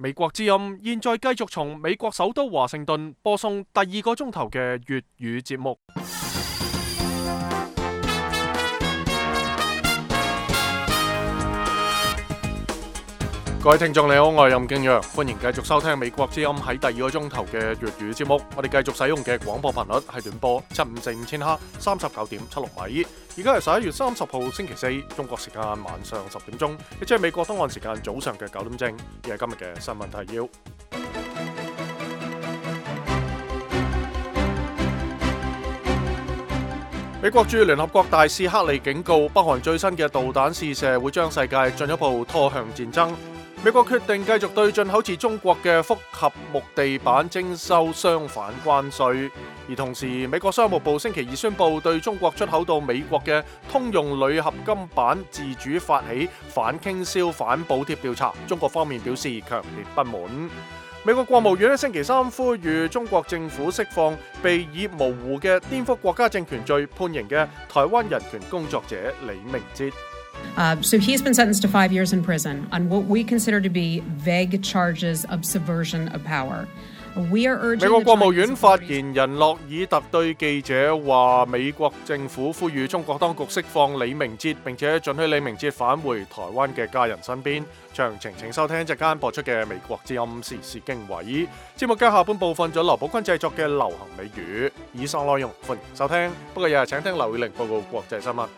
美國之音現在繼續從美國首都華盛頓播送第2個鐘頭嘅粵語節目。各位聽眾你好，我係任敬陽，歡迎繼續收聽美國之音喺第2個鐘頭嘅粵語節目。我哋繼續使用嘅廣播頻率係短波7545千赫39.76米。而家係11月30號星期四，中國時間晚上10點鐘，亦即係美國東岸時間早上嘅9點正。而係今日嘅新聞提要。美國駐聯合國大使克利警告，北韓最新嘅導彈試射會將世界進一步拖向戰爭。美國決定繼續對進口自中國嘅複合木地板徵收相反關稅，而同時美國商務部星期2宣布對中國出口到美國嘅通用鋁合金板自主發起反傾銷反補貼調查，中國方面表示強烈不滿。美國國務院喺星期3呼籲中國政府釋放被以模糊嘅顛覆國家政權罪判刑嘅台灣人權工作者李明哲。So he's been sentenced to 5 years in prison on what we consider to be vague charges of subversion of power. 美國國務院發言人洛爾特對記者話，美國政府呼籲中國當局釋放李明哲，並且准許李明哲返回台灣嘅家人身邊。詳情請收聽一陣間播出嘅美國之音時事經緯節目嘅下半部分，咗劉寶坤製作嘅流行美語。以上內容歡迎收聽，不過日日請聽劉宇玲報告國際新聞。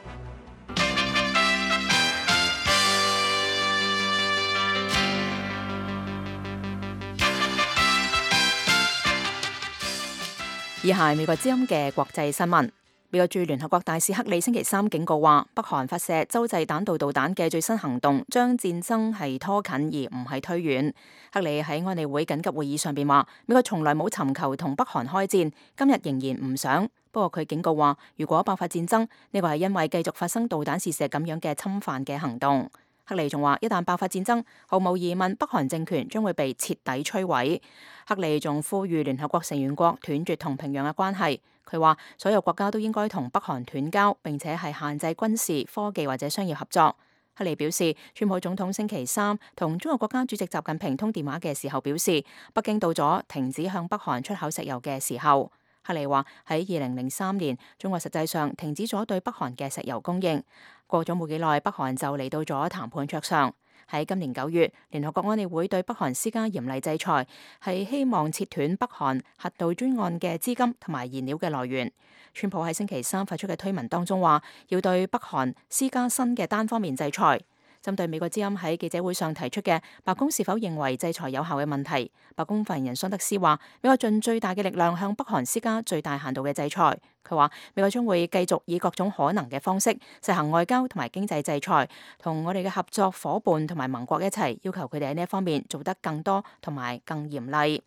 以下係美國之音嘅國際新聞。美國駐聯合國大使克里星期3警告話，北韓發射洲際彈道導彈嘅最新行動將戰爭係拖近而唔係推遠。克里喺安理會緊急會議上邊話，美國從來冇尋求同北韓開戰，今日仍然唔想。不過佢警告話，如果爆發戰爭，呢個係因為繼續發生導彈試射咁樣嘅侵犯嘅行動。克里仲話，一旦爆發戰爭，毫無疑問北韓政權將會被徹底摧毀。克里仲呼籲聯合國成員國斷絕同平壤嘅關係。佢話所有國家都應該同北韓斷交，並且係限制軍事、科技或者商業合作。克里表示，川普總統星期3同中國國家主席習近平通電話嘅時候表示，北京到咗停止向北韓出口石油嘅時候。克里話喺2003年，中國實際上停止咗對北韓嘅石油供應。過咗冇幾耐，北韓就嚟到咗談判桌上。喺今年9月，聯合國安理會對北韓施加嚴厲制裁，係希望切斷北韓核導專案嘅資金同埋燃料嘅來源。川普喺星期3發出嘅推文當中話，要對北韓施加新嘅單方面制裁。針對美國之音喺記者會上提出嘅白宮是否認為制裁有效嘅問題，白宮發言人桑德斯話，美國盡最大嘅力量向北韓施加最大限度嘅制裁。佢話美國將會繼續以各種可能嘅方式實行外交同埋經濟制裁，同我哋嘅合作夥伴同埋盟國一齊要求佢哋喺呢一方面做得更多同埋更嚴厲。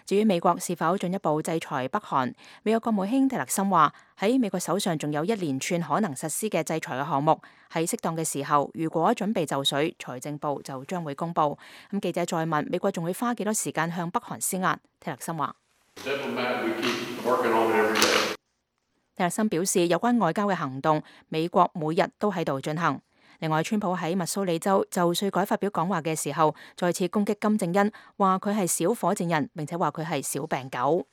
至於美國是否進一步制裁北韓，美國國務卿蒂勒森話，喺美國手上仲有一連串可能實施嘅制裁嘅項目，喺適當嘅時候，如果準備就緒，財政部就將會公布。咁記者再問美國仲會花幾多時間向北韓施壓，蒂勒森話。蒂勒森表示，有關外交嘅行動，美國每日都喺度進行。另外，川普喺密蘇里州就稅改發表講話嘅時候，再次攻擊金正恩，話佢係小火箭人，並且話佢係小病狗。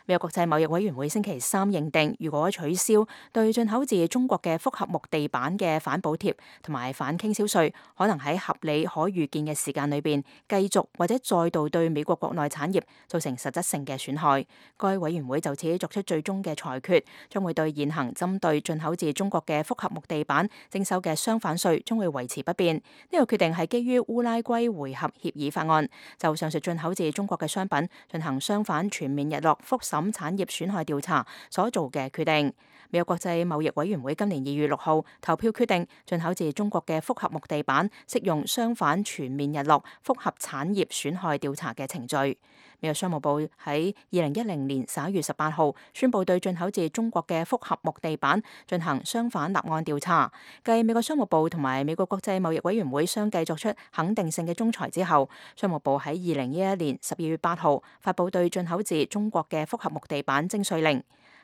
美國國際貿易委員會星期3認定，如果取消對進口自中國嘅複合木地板嘅反補貼同埋反傾銷稅，可能喺合理可預見嘅時間裏邊繼續或者再度對美國國內產業造成實質性嘅損害。該委員會就此作出最終嘅裁決，將會對現行針對進口自中國嘅複合木地板徵收嘅相反稅將會維持不變。呢個決定係基於烏拉圭會合協議法案，就上述進口自中國嘅商品進行相反全面日落複審產業損害調查所做嘅決定。美國國際貿易委員會今年2月6號投票決定，進口自中國嘅複合木地板適用相反全面日落複合產業損害調查嘅程序。美國商務部喺2010年11月18號宣布對進口自中國嘅複合木地板進行相反立案調查。繼美國商務部同埋美國國際貿易委員會相繼作出肯定性嘅仲裁之後，商務部喺2011年12月8號發布對進口自中國嘅複合木地板徵稅令。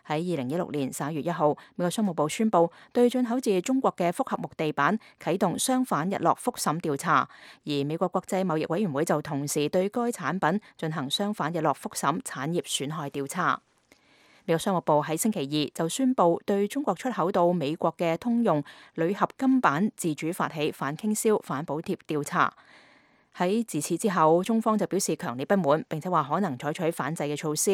喺2016年11月1號，美國商務部宣布對進口自中國嘅複合木地板啟動相反日落覆審調查，而美國國際貿易委員會就同時對該產品進行相反日落覆審產業損害調查。美國商務部喺星期二就宣布對中國出口到美國嘅通用鋁合金板自主發起反傾銷、反補貼調查。喺自此之後，中方就表示強烈不滿，並且話可能採取反制嘅措施。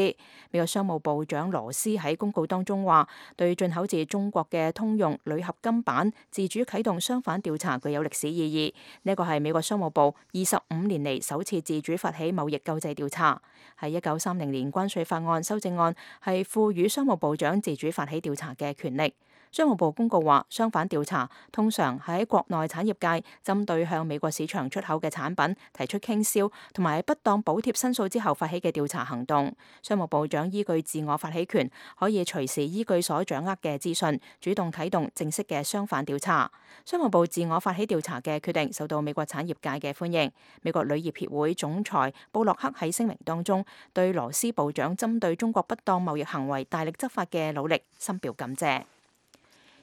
美國商務部長羅斯喺公告當中話，對進口自中國嘅通用鋁合金板自主啟動相反調查具有歷史意義。呢個係美國商務部25年嚟首次自主發起貿易救濟調查。喺1930年關稅法案修正案係賦予商務部長自主發起調查嘅權力。商務部公告話，相反調查通常喺國內產業界針對向美國市場出口嘅產品提出傾銷同埋不當補貼申訴之後發起嘅調查行動。商務部長依據自我發起權，可以隨時依據所掌握嘅資訊，主動啟動正式嘅相反調查。商務部自我發起調查嘅決定受到美國產業界嘅歡迎。美國鋁業協會總裁布洛克喺聲明當中對羅斯部長針對中國不當貿易行為大力執法嘅努力深表感謝。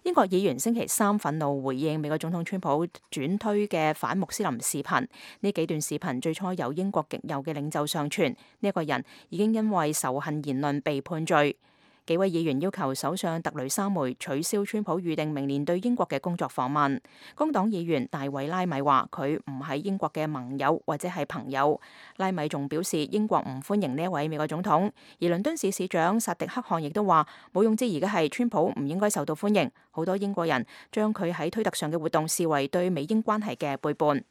英國議員星期三憤怒回應美國總統川普轉推嘅反穆斯林視頻。呢幾段視頻最初由英國極右嘅領袖上傳，呢一個人已經因為仇恨言論被判罪。幾位議員要求首相特雷莎梅取消川普預定明年對英國嘅工作訪問。工黨議員大衛拉米話佢唔係英國嘅盟友或者係朋友。拉米仲表示英國唔歡迎呢一位美國總統。而倫敦市市長薩迪克汗亦都話毋庸置疑嘅係川普唔應該受到歡迎。好多英國人將佢喺推特上嘅活動視為對美英關係嘅背叛。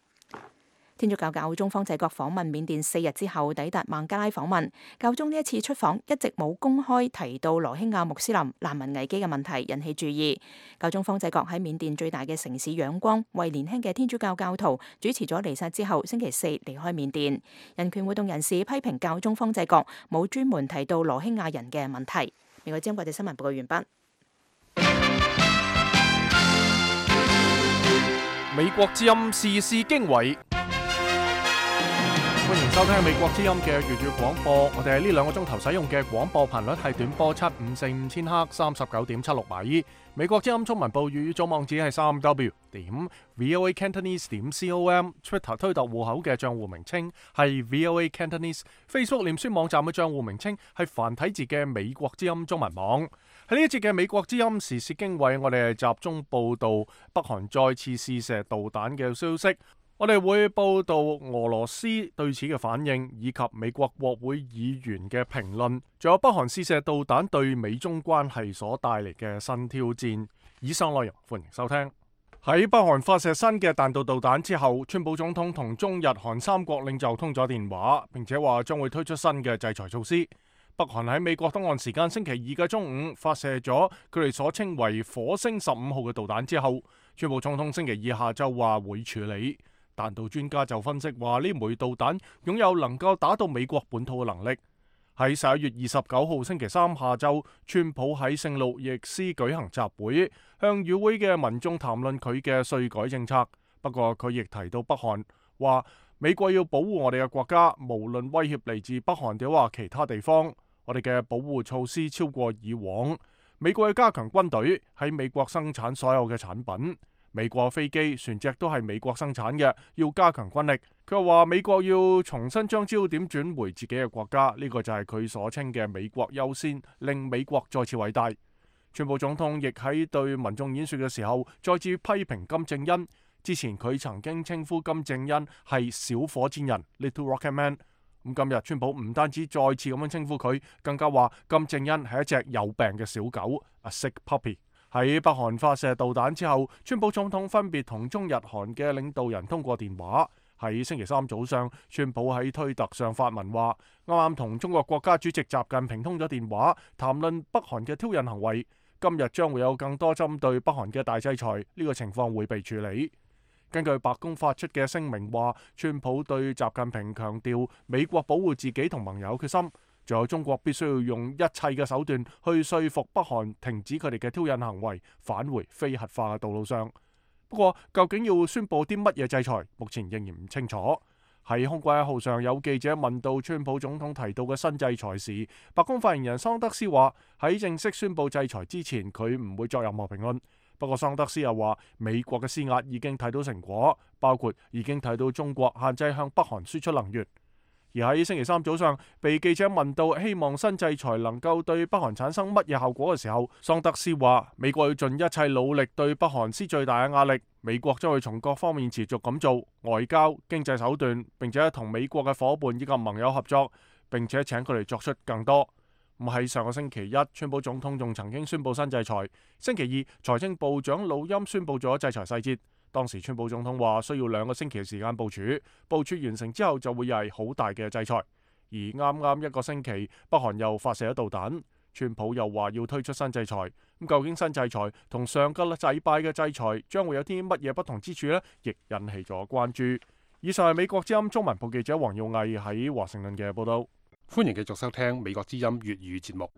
天主教教宗方濟各訪問緬甸4日之後抵達孟加拉訪問。教宗呢一次出訪一直冇公開提到羅興亞穆斯林難民危機嘅問題，引起注意。教宗方濟各喺緬甸最大嘅城市仰光為年輕嘅天主教教徒主持咗彌撒之後，星期四離開緬甸。人權活動人士批評教宗方濟各冇專門提到羅興亞人嘅問題。美國之音國際新聞報告完畢。美國之音時事經緯。歡迎收聽美國之音嘅粵語廣播。我哋喺呢2個鐘頭使用嘅廣播頻率係短波7545千赫39.76米。美國之音中文部粵語組網址係3w.voacantonese.com。Twitter 推特戶口嘅賬戶名稱係 VOA Cantonese。Facebook 臉書網站嘅賬戶名稱係繁體字嘅美國之音中文網。喺呢一節嘅美國之音時事經緯，我哋係集中報道北韓再次試射導彈嘅消息。我哋會報道俄羅斯對此嘅反應，以及美國國會議員嘅評論，仲有北韓試射導彈對美中關係所帶嚟嘅新挑戰。以上內容歡迎收聽。喺北韓發射新嘅彈道導彈之後，川普總統同中日韓3國領袖通咗電話，並且話將會推出新嘅制裁措施。北韓喺美國東岸時間星期2嘅中午發射咗佢哋所稱為火星15號嘅導彈之後，川普總統星期2下晝話會處理。彈道專家就分析話，呢枚導彈擁有能夠打到美國本土嘅能力。喺11月29號星期三下晝，川普喺聖路易斯舉行集會，向與會嘅民眾談論佢嘅稅改政策。不過佢亦提到北韓，話美國要保護我哋嘅國家，無論威脅嚟自北韓定話其他地方，我哋嘅保護措施超過以往。美國要加強軍隊，喺美國生產所有嘅產品。美國飛機、船隻都係美國生產嘅，要加強軍力。佢又話美國要重新將焦點轉回自己嘅國家，呢個就係佢所稱嘅美國優先，令美國再次偉大。川普總統亦喺對民眾演說嘅時候，再次批評金正恩。之前佢曾經稱呼金正恩係小火箭人 （Little Rocket Man）。咁今日川普唔單止再次咁樣稱呼佢，更加話金正恩係一隻有病嘅小狗 （A sick puppy）。喺北韓發射導彈之後，川普總統分別同中日韓嘅領導人通過電話。喺星期三早上，川普喺推特上發文話，啱啱同中國國家主席習近平通咗電話，談論北韓嘅挑釁行為。今日將會有更多針對北韓嘅大制裁，呢個情況會被處理。根據白宮發出嘅聲明話，川普對習近平強調美國保護自己同盟友決心。仲有中國必須要用一切嘅手段去說服北韓停止佢哋嘅挑釁行為，返回非核化嘅道路上。不過，究竟要宣佈啲乜嘢制裁，目前仍然唔清楚。喺空軍1號上有記者問到川普總統提到嘅新制裁時，白宮發言人桑德斯話喺正式宣布制裁之前，佢唔會作任何評論。不過桑德斯又話美國嘅施壓已經睇到成果，包括已經睇到中國限制向北韓輸出能源。而喺星期三早上，被記者問到希望新制裁能夠對北韓產生乜嘢效果嘅時候，桑德斯話美國要盡一切努力對北韓施最大嘅壓力，美國將會從各方面持續咁做外交、經濟手段，並且同美國嘅伙伴以及盟友合作，並且請佢哋作出更多。咁喺上個星期一，川普總統仲曾經宣布新制裁。星期二，財政部長魯欽宣布咗制裁細節。當時川普總統話需要2個星期嘅時間部署完成之後就會係好大嘅制裁。而啱啱1個星期，北韓又發射咗導彈，川普又話要推出新制裁。咁究竟新制裁同上個禮拜嘅制裁將會有啲乜嘢不同之處呢？亦引起咗關注。以上係美國之音中文部記者黃耀毅喺華盛頓嘅報道。歡迎繼續收聽美國之音粵語節目。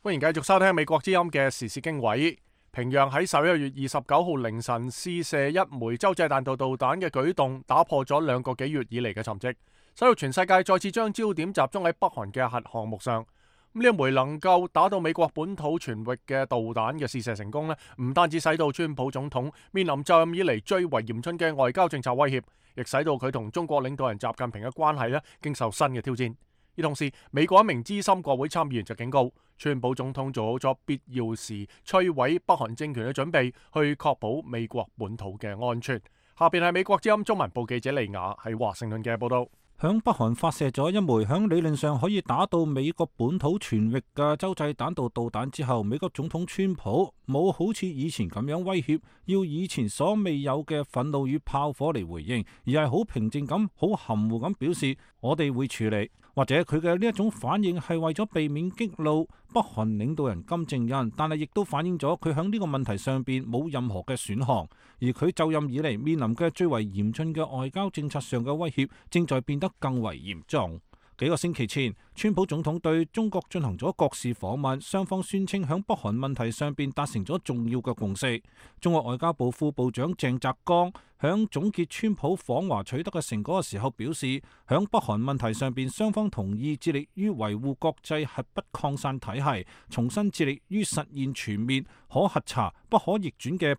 歡迎繼續收聽美國之音嘅時事經緯。平壤喺11月29號凌晨試射一枚洲際彈道導彈嘅舉動，打破咗2個幾月以嚟嘅沉寂，使到全世界再次將焦點集中喺北韓嘅核項目上。呢一枚能夠打到美國本土全域嘅導彈嘅試射成功呢，唔單止使到川普總統面臨就任以嚟最為嚴峻嘅外交政策威脅，亦使到佢同中國領導人習近平嘅關係經受新嘅挑戰。而同時，美國一名資深國會參議員就警告，川普總統做好咗必要時摧毀北韓政權嘅準備，去確保美國本土嘅安全。下邊係美國之音中文部記者利亞喺華盛頓嘅報道。響北韓發射咗一枚響理論上可以打到美國本土全域嘅洲際彈道導彈之後，美國總統川普冇好似以前咁樣威脅，要以前所未有嘅憤怒與炮火嚟回應，而係好平靜咁、好含糊咁表示我哋會處理。或者佢嘅呢一種反應係為咗避免激怒北韓領導人金正恩，但係亦都反映咗佢喺呢個問題上邊冇任何嘅選項，而佢就任以嚟面臨嘅最為嚴峻嘅外交政策上嘅威脅正在變得更為嚴重。幾個星期前，川普總統對中國進行咗國事訪問，雙方宣稱響北韓問題上邊達成咗重要嘅共識。中國外交部副部長鄭澤剛響總結川普訪華取得嘅成果嘅時候表示，響北韓問題上邊，雙方同意致力於維護國際核不擴散體系，重新致力於實現全面可核查、不可逆轉嘅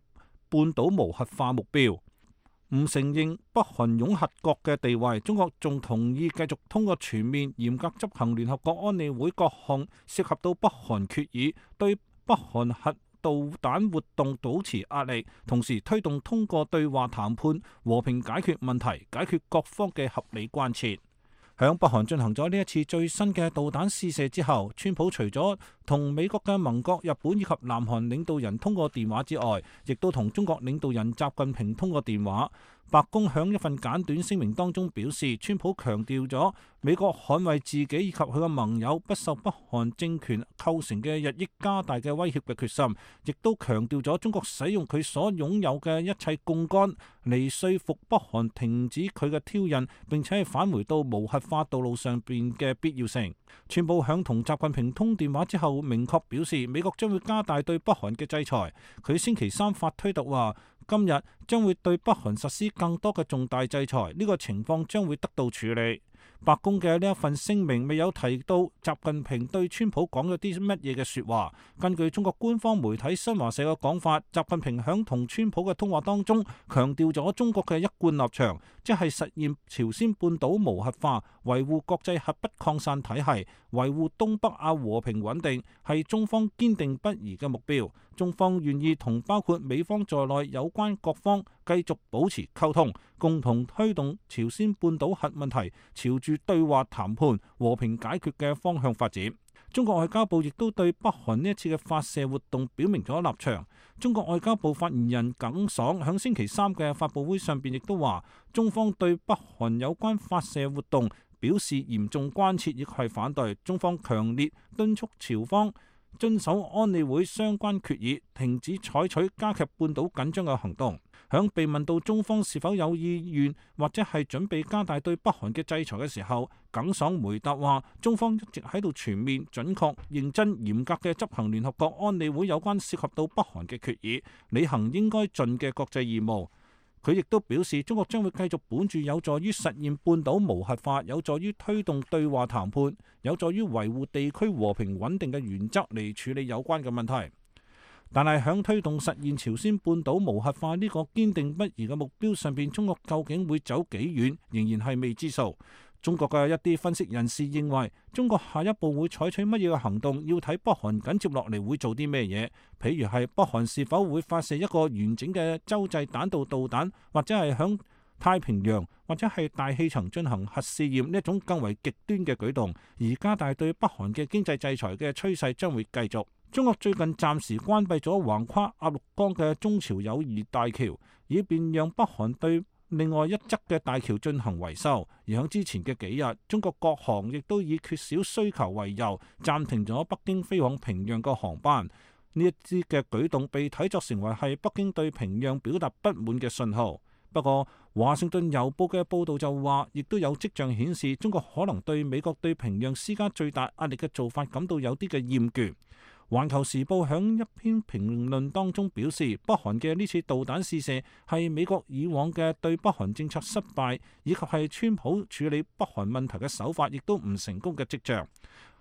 半島無核化目標。唔承認北韓擁核國嘅地位，中國仲同意繼續通過全面嚴格執行聯合國安理會各項涉及到北韓決議，對北韓核導彈活動保持壓力，同時推動通過對話談判和平解決問題，解決各方嘅合理關切。響北韓進行咗呢一次最新嘅導彈試射之後，川普除咗同美國嘅盟國日本以及南韓領導人通過電話之外，亦都同中國領導人習近平通過電話。白宮響一份簡短聲明當中表示，川普強調咗美國捍衛自己以及佢嘅盟友不受北韓政權構成嘅日益加大嘅威脅嘅決心，亦都強調咗中國使用佢所擁有嘅一切槓桿嚟說服北韓停止佢嘅挑釁，並且係返回到無核化道路上邊嘅必要性。川普響同習近平通電話之後，明確表示美國將會加大對北韓嘅制裁。佢星期三發推特話，今日將會對北韓實施更多嘅重大制裁，呢個情況將會得到處理。白宮嘅呢一份聲明未有提到習近平對川普講咗啲乜嘢嘅說話。根據中國官方媒體新華社嘅講法，習近平響同川普嘅通話當中強調咗中國嘅一貫立場，即係實現朝鮮半島無核化，維護國際核不擴散體系，維護東北亞和平穩定，係中方堅定不移嘅目標。中方願意同包括美方在內有關各方繼續保持溝通，共同推動朝鮮半島核問題朝住對話談判、和平解決嘅方向發展。中國外交部亦都對北韓呢一次嘅發射活動表明咗立場。中國外交部發言人耿爽響星期三嘅發佈會上邊亦都話，中方對北韓有關發射活動表示嚴重關切，亦係反對。中方強烈敦促朝方遵守安理會相關決議，停止採取加劇半島緊張嘅行動。響被問到中方是否有意願或者係準備加大對北韓嘅制裁嘅時候，耿爽回答話：中方一直喺度全面、準確、認真、嚴格嘅執行聯合國安理會有關涉及到北韓嘅決議，履行應該盡嘅國際義務。佢亦都表示，中國將會繼續本住有助於實現半島無核化、有助於推動對話談判、有助於維護地區和平穩定嘅原則嚟處理有關嘅問題。但係響推動實現朝鮮半島無核化呢個堅定不移嘅目標上邊，中國究竟會走幾遠，仍然係未知數。中國嘅一啲分析人士認為，中國下一步會採取乜嘢嘅行動，要睇北韓緊接落嚟會做啲咩嘢。譬如係北韓是否會發射一個完整嘅洲際彈道導彈，或者係響太平洋或者係大氣層進行核試驗呢一種更為極端嘅舉動，而加大對北韓嘅經濟制裁嘅趨勢將會繼續。中國最近暫時關閉咗橫跨鴨綠江嘅中朝友誼大橋，以便讓北韓對另外一側嘅大橋進行維修。而喺之前嘅幾日，中國國航亦都以缺少需求為由，暫停咗北京飛往平壤嘅航班。呢一啲嘅舉動被睇作成為係北京對平壤表達不滿嘅信號。不過，華盛頓郵報嘅報導就話，亦都有跡象顯示，中國可能對美國對平壤施加最大壓力嘅做法感到有啲嘅厭倦。環球時報響一篇評論當中表示，北韓嘅呢次導彈試射係美國以往嘅對北韓政策失敗，以及係川普處理北韓問題嘅手法亦都唔成功嘅跡象。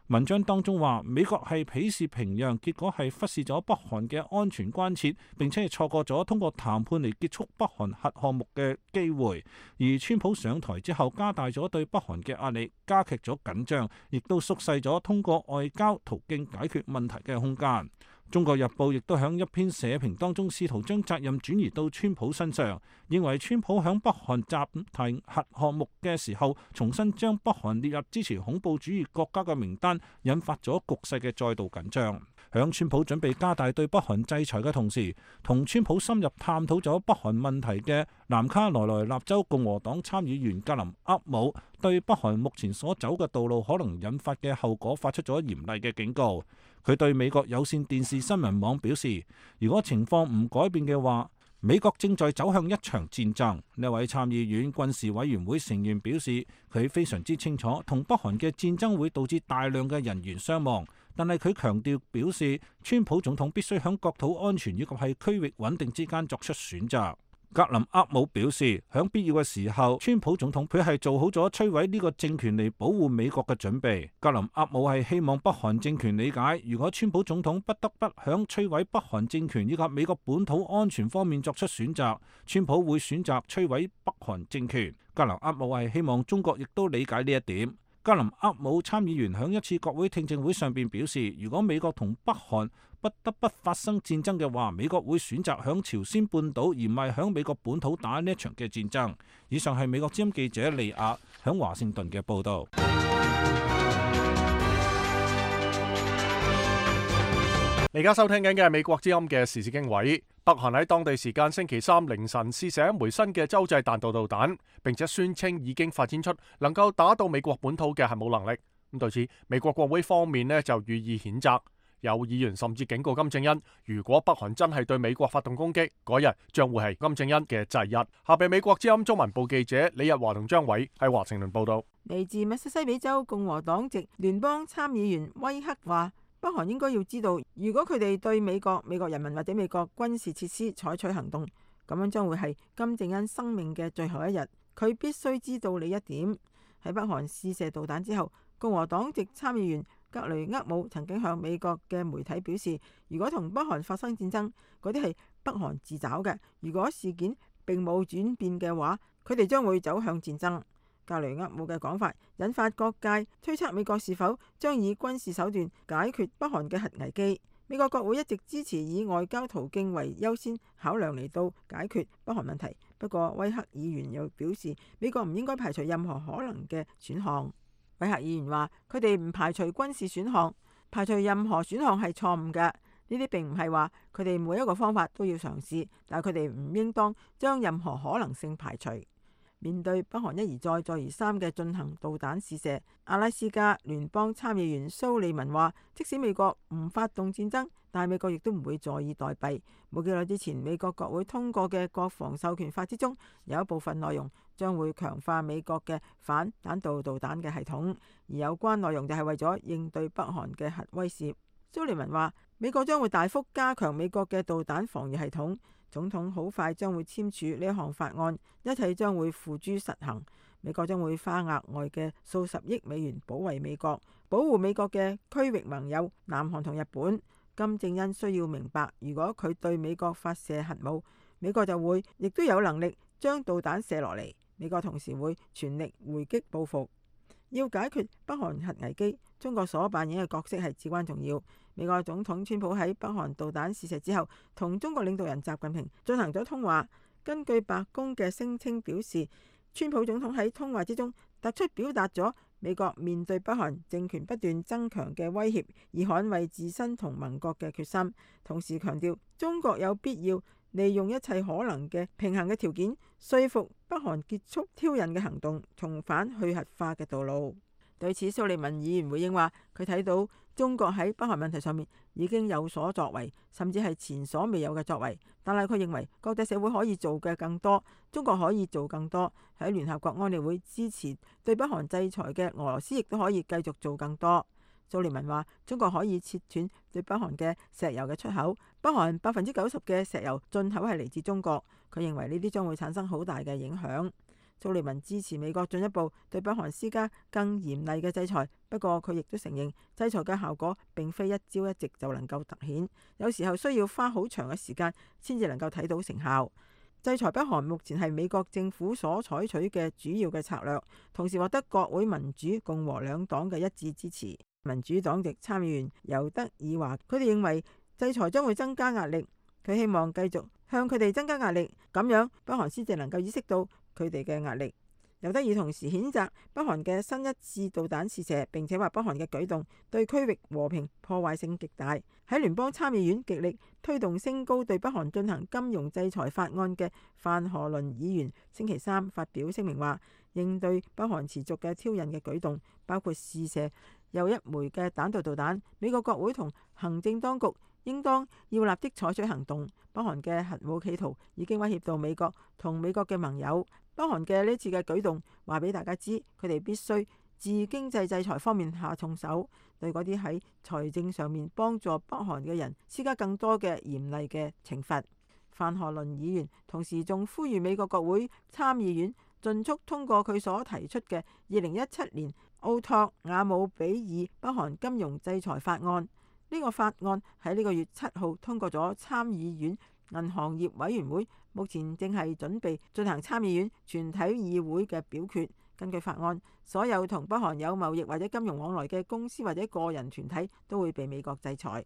文章當中話，美國係鄙視平壤，結果係忽視咗北韓嘅安全關切，並且係錯過咗通過談判嚟結束北韓核項目嘅機會。而川普上台之後，加大咗對北韓嘅壓力，加劇咗緊張，亦都縮細咗通過外交途徑解決問題嘅空間。中國日報亦都喺一篇社評當中試圖將責任轉移到川普身上，認為川普響北韓暫停核項目嘅時候，重新將北韓列入支持恐怖主義國家嘅名單，引發咗局勢嘅再度緊張。響川普準備加大對北韓制裁嘅同時，同川普深入探討咗北韓問題嘅南卡羅來納州共和黨參議員格林厄姆，對北韓目前所走嘅道路可能引發嘅後果發出咗嚴厲嘅警告。佢對美國有線電視新聞網表示，如果情況唔改變嘅話，美國正在走向一場戰爭。呢位參議院軍事委員會成員表示，佢非常之清楚同北韓嘅戰爭會導致大量嘅人員傷亡，但係佢強調表示，川普總統必須喺國土安全以及係區域穩定之間作出選擇。格林厄姆表示，喺必要嘅時候，川普總統佢係做好咗摧毀呢個政權嚟保護美國嘅準備。格林厄姆係希望北韓政權理解，如果川普總統不得不響摧毀北韓政權以及美國本土安全方面作出選擇，川普會選擇摧毀北韓政權。格林厄姆係希望中國亦都理解呢一點。格林厄姆參議員喺一次國會聽證會上邊表示，如果美國同北韓不得不發生戰爭嘅話，美國會選擇響朝鮮半島而唔係響美國本土打呢一場嘅戰爭。以上係美國之音記者利亞響華盛頓嘅報道。你而家收聽緊嘅係美國之音嘅時事經緯。北韓喺當地時間星期三凌晨試射一枚新嘅洲際彈道導彈，並且宣稱已經發展出能夠打到美國本土嘅核武能力。咁對此，美國國會方面呢就予以譴責。有議員甚至警告金正恩，如果北韓真係對美國發動攻擊，嗰日將會係金正恩嘅忌日。下邊美國之音中文部記者李日華同張偉喺華盛頓報道。嚟自密西西比州共和黨籍聯邦參議員威克話，北韓應該要知道，如果佢哋對美國人民或者美國軍事設施採取行動，咁樣將會係金正恩生命嘅最後一日。佢必須知道呢一點。喺北韓試射導彈之後，共和黨籍參議員格雷厄姆曾經向美國嘅媒體表示，如果同北韓發生戰爭，嗰啲係北韓自找嘅。如果事件並冇轉變嘅話，佢哋將會走向戰爭。格雷厄姆嘅講法引發各界推測美國是否將以軍事手段解決北韓嘅核危機。美國國會一直支持以外交途徑為優先考量嚟到解決北韓問題。不過威克議員又表示，美國唔應該排除任何可能嘅選項。威克議員話，佢哋唔排除軍事選項，排除任何選項係錯誤嘅。呢啲並唔係話佢哋每一個方法都要嘗試，但係佢哋唔應當將任何可能性排除。面對北韓一而再再而三嘅進行導彈試射，阿拉斯加聯邦參議員蘇利文話，即使美國唔發動戰爭，但係美國亦都唔會坐以待斃。冇幾耐之前，美國國會通過嘅國防授權法之中，有一部分內容將會強化美國嘅反彈道導彈嘅系統，而有關內容就係為咗應對北韓嘅核威懾。蘇利文話，美國將會大幅加強美國嘅導彈防禦系統，總統好快將會簽署呢一項法案，一切將會付諸實行。美國將會花額外嘅數十億美元保衛美國，保護美國嘅區域盟友南韓同日本。金正恩需要明白，如果佢對美國發射核武，美國就會亦都有能力將導彈射落嚟。美國同時會全力回擊報復。要解決北韓核危機，中國所扮演嘅角色係至關重要。美國總統川普喺北韓導彈試射之後，同中國領導人習近平進行咗通話。根據白宮嘅聲稱表示，川普總統喺通話之中突出表達咗美國面對北韓政權不斷增強嘅威脅而捍衛自身同盟國嘅決心，同時強調中國有必要利用一切可能嘅平衡嘅條件，說服北韓結束挑釁嘅行動，重返去核化嘅道路。對此，蘇利文議員回應話，佢睇到中國喺北韓問題上面已經有所作為，甚至係前所未有嘅作為。但係佢認為國際社會可以做嘅更多，中國可以做更多。喺聯合國安理會支持對北韓制裁嘅俄羅斯亦都可以繼續做更多。蘇利文話，中國可以切斷對北韓嘅石油嘅出口，北韓90%嘅石油進口係嚟自中國。佢認為呢啲將會產生好大嘅影響。蘇利文支持美國進一步對北韓施加更嚴厲嘅制裁，不過佢亦都承認制裁嘅效果並非一朝一夕就能夠凸顯，有時候需要花好長嘅時間先至能夠睇到成效。制裁北韓目前係美國政府所採取嘅主要嘅策略，同時獲得國會民主共和兩黨嘅一致支持。民主黨籍參議員尤德爾話，佢哋認為制裁將會增加壓力，佢希望繼續向佢哋增加壓力，咁樣北韓先至能夠意識到佢哋嘅壓力。尤德爾同時譴責北韓嘅新一次導彈試射，並且話北韓嘅舉動對區域和平破壞性極大。喺聯邦參議院極力推動升高對北韓進行金融制裁法案嘅范荷倫議員星期三發表聲明話，應對北韓持續嘅挑釁嘅舉動，包括試射又一枚嘅彈道導彈，美國國會同行政當局應當要立即採取行動。北韓嘅核武企圖已經威脅到美國同美國嘅盟友。北韓嘅呢次嘅舉動話俾大家知，佢哋必須自經濟制裁方面下重手，對嗰啲喺財政上面幫助北韓嘅人施加更多嘅嚴厲嘅懲罰。范荷倫議員同時仲呼籲美國國會參議院盡速通過佢所提出嘅2017年奧托瓦姆比爾北韓金融制裁法案。呢個法案喺呢個月7號通過咗參議院銀行業委員會，目前正係準備進行參議院全體議會嘅表決。根據法案，所有同北韓有貿易或者金融往來嘅公司或者個人團體都會被美國制裁。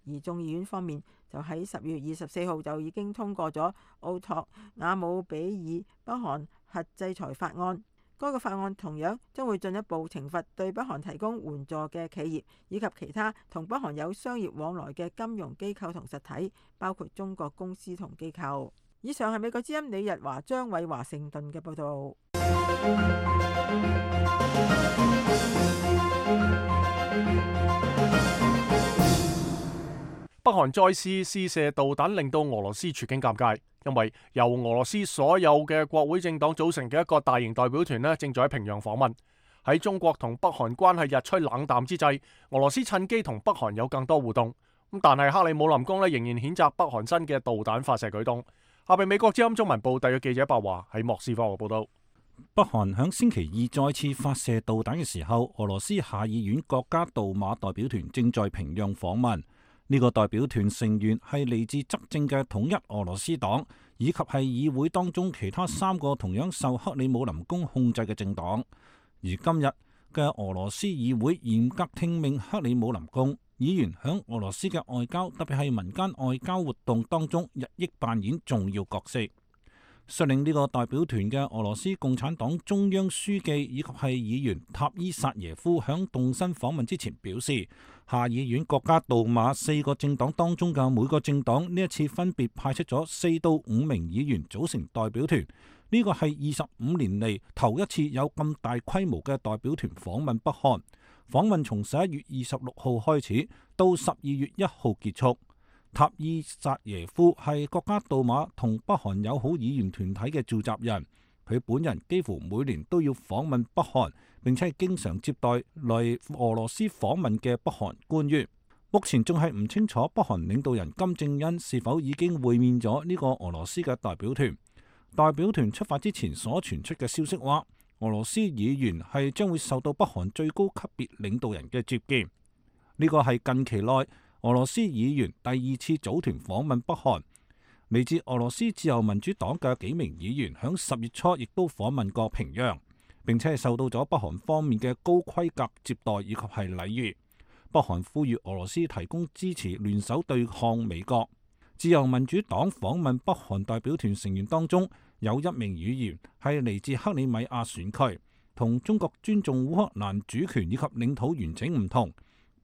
而眾議院方面就喺10月24號就已經通過咗奧托瓦姆比爾北韓核制裁法案。該個法案同樣將會進一步懲罰對北韓提供援助嘅企業，以及其他同北韓有商業往來嘅金融機構同實體，包括中國公司同機構。以上係美國之音李日華、張偉華盛頓嘅報導。北韓再次試射導彈，令到俄羅斯處境尷尬，因為由俄羅斯所有嘅國會政黨組成嘅一個大型代表團正在喺平壤訪問。喺中國同北韓關係日趨冷淡之際，俄羅斯趁機同北韓有更多互動。但係克里姆林宮仍然譴責北韓新嘅導彈發射舉動。下邊美國之音中文部特約記者白華喺莫斯科嘅報道。北韓響星期二再次發射導彈嘅時候，俄羅斯下議院國家杜馬代表團正在平壤訪問。呢個代表團成員係嚟自執政嘅統一俄羅斯黨，以及係議會當中其他3個同樣受克里姆林宮控制嘅政黨。而今日嘅俄羅斯議會嚴格聽命克里姆林宮，議員響俄羅斯嘅外交，特別係民間外交活動當中，日益扮演重要角色。率領呢個代表團嘅俄羅斯共產黨中央書記以及係議員塔伊薩耶夫響動身訪問之前表示，下議院國家杜馬4個政黨當中嘅每個政黨呢一次分別派出咗4到5名議員組成代表團，呢個係25年嚟頭一次有咁大規模嘅代表團訪問北韓。訪問從11月26號開始到12月1號結束。塔伊扎耶夫係國家杜馬同北韓友好議員團體嘅召集人，佢本人幾乎每年都要訪問北韓，並且係經常接待來俄羅斯訪問嘅北韓官員。目前仲係唔清楚北韓領導人金正恩是否已經會面咗呢個俄羅斯嘅代表團。代表團出發之前所傳出嘅消息話，俄羅斯議員係將會受到北韓最高級別領導人嘅接見。呢個係近期內俄羅斯議員第2次組團訪問北韓。嚟自俄羅斯自由民主黨嘅幾名議員響10月初亦都訪問過平壤，並且係受到咗北韓方面嘅高規格接待以及係禮遇。北韓呼籲俄羅斯提供支持，聯手對抗美國。自由民主黨訪問北韓代表團成員當中有1名議員係嚟自克里米亞選區，同中國尊重烏克蘭主權以及領土完整唔同。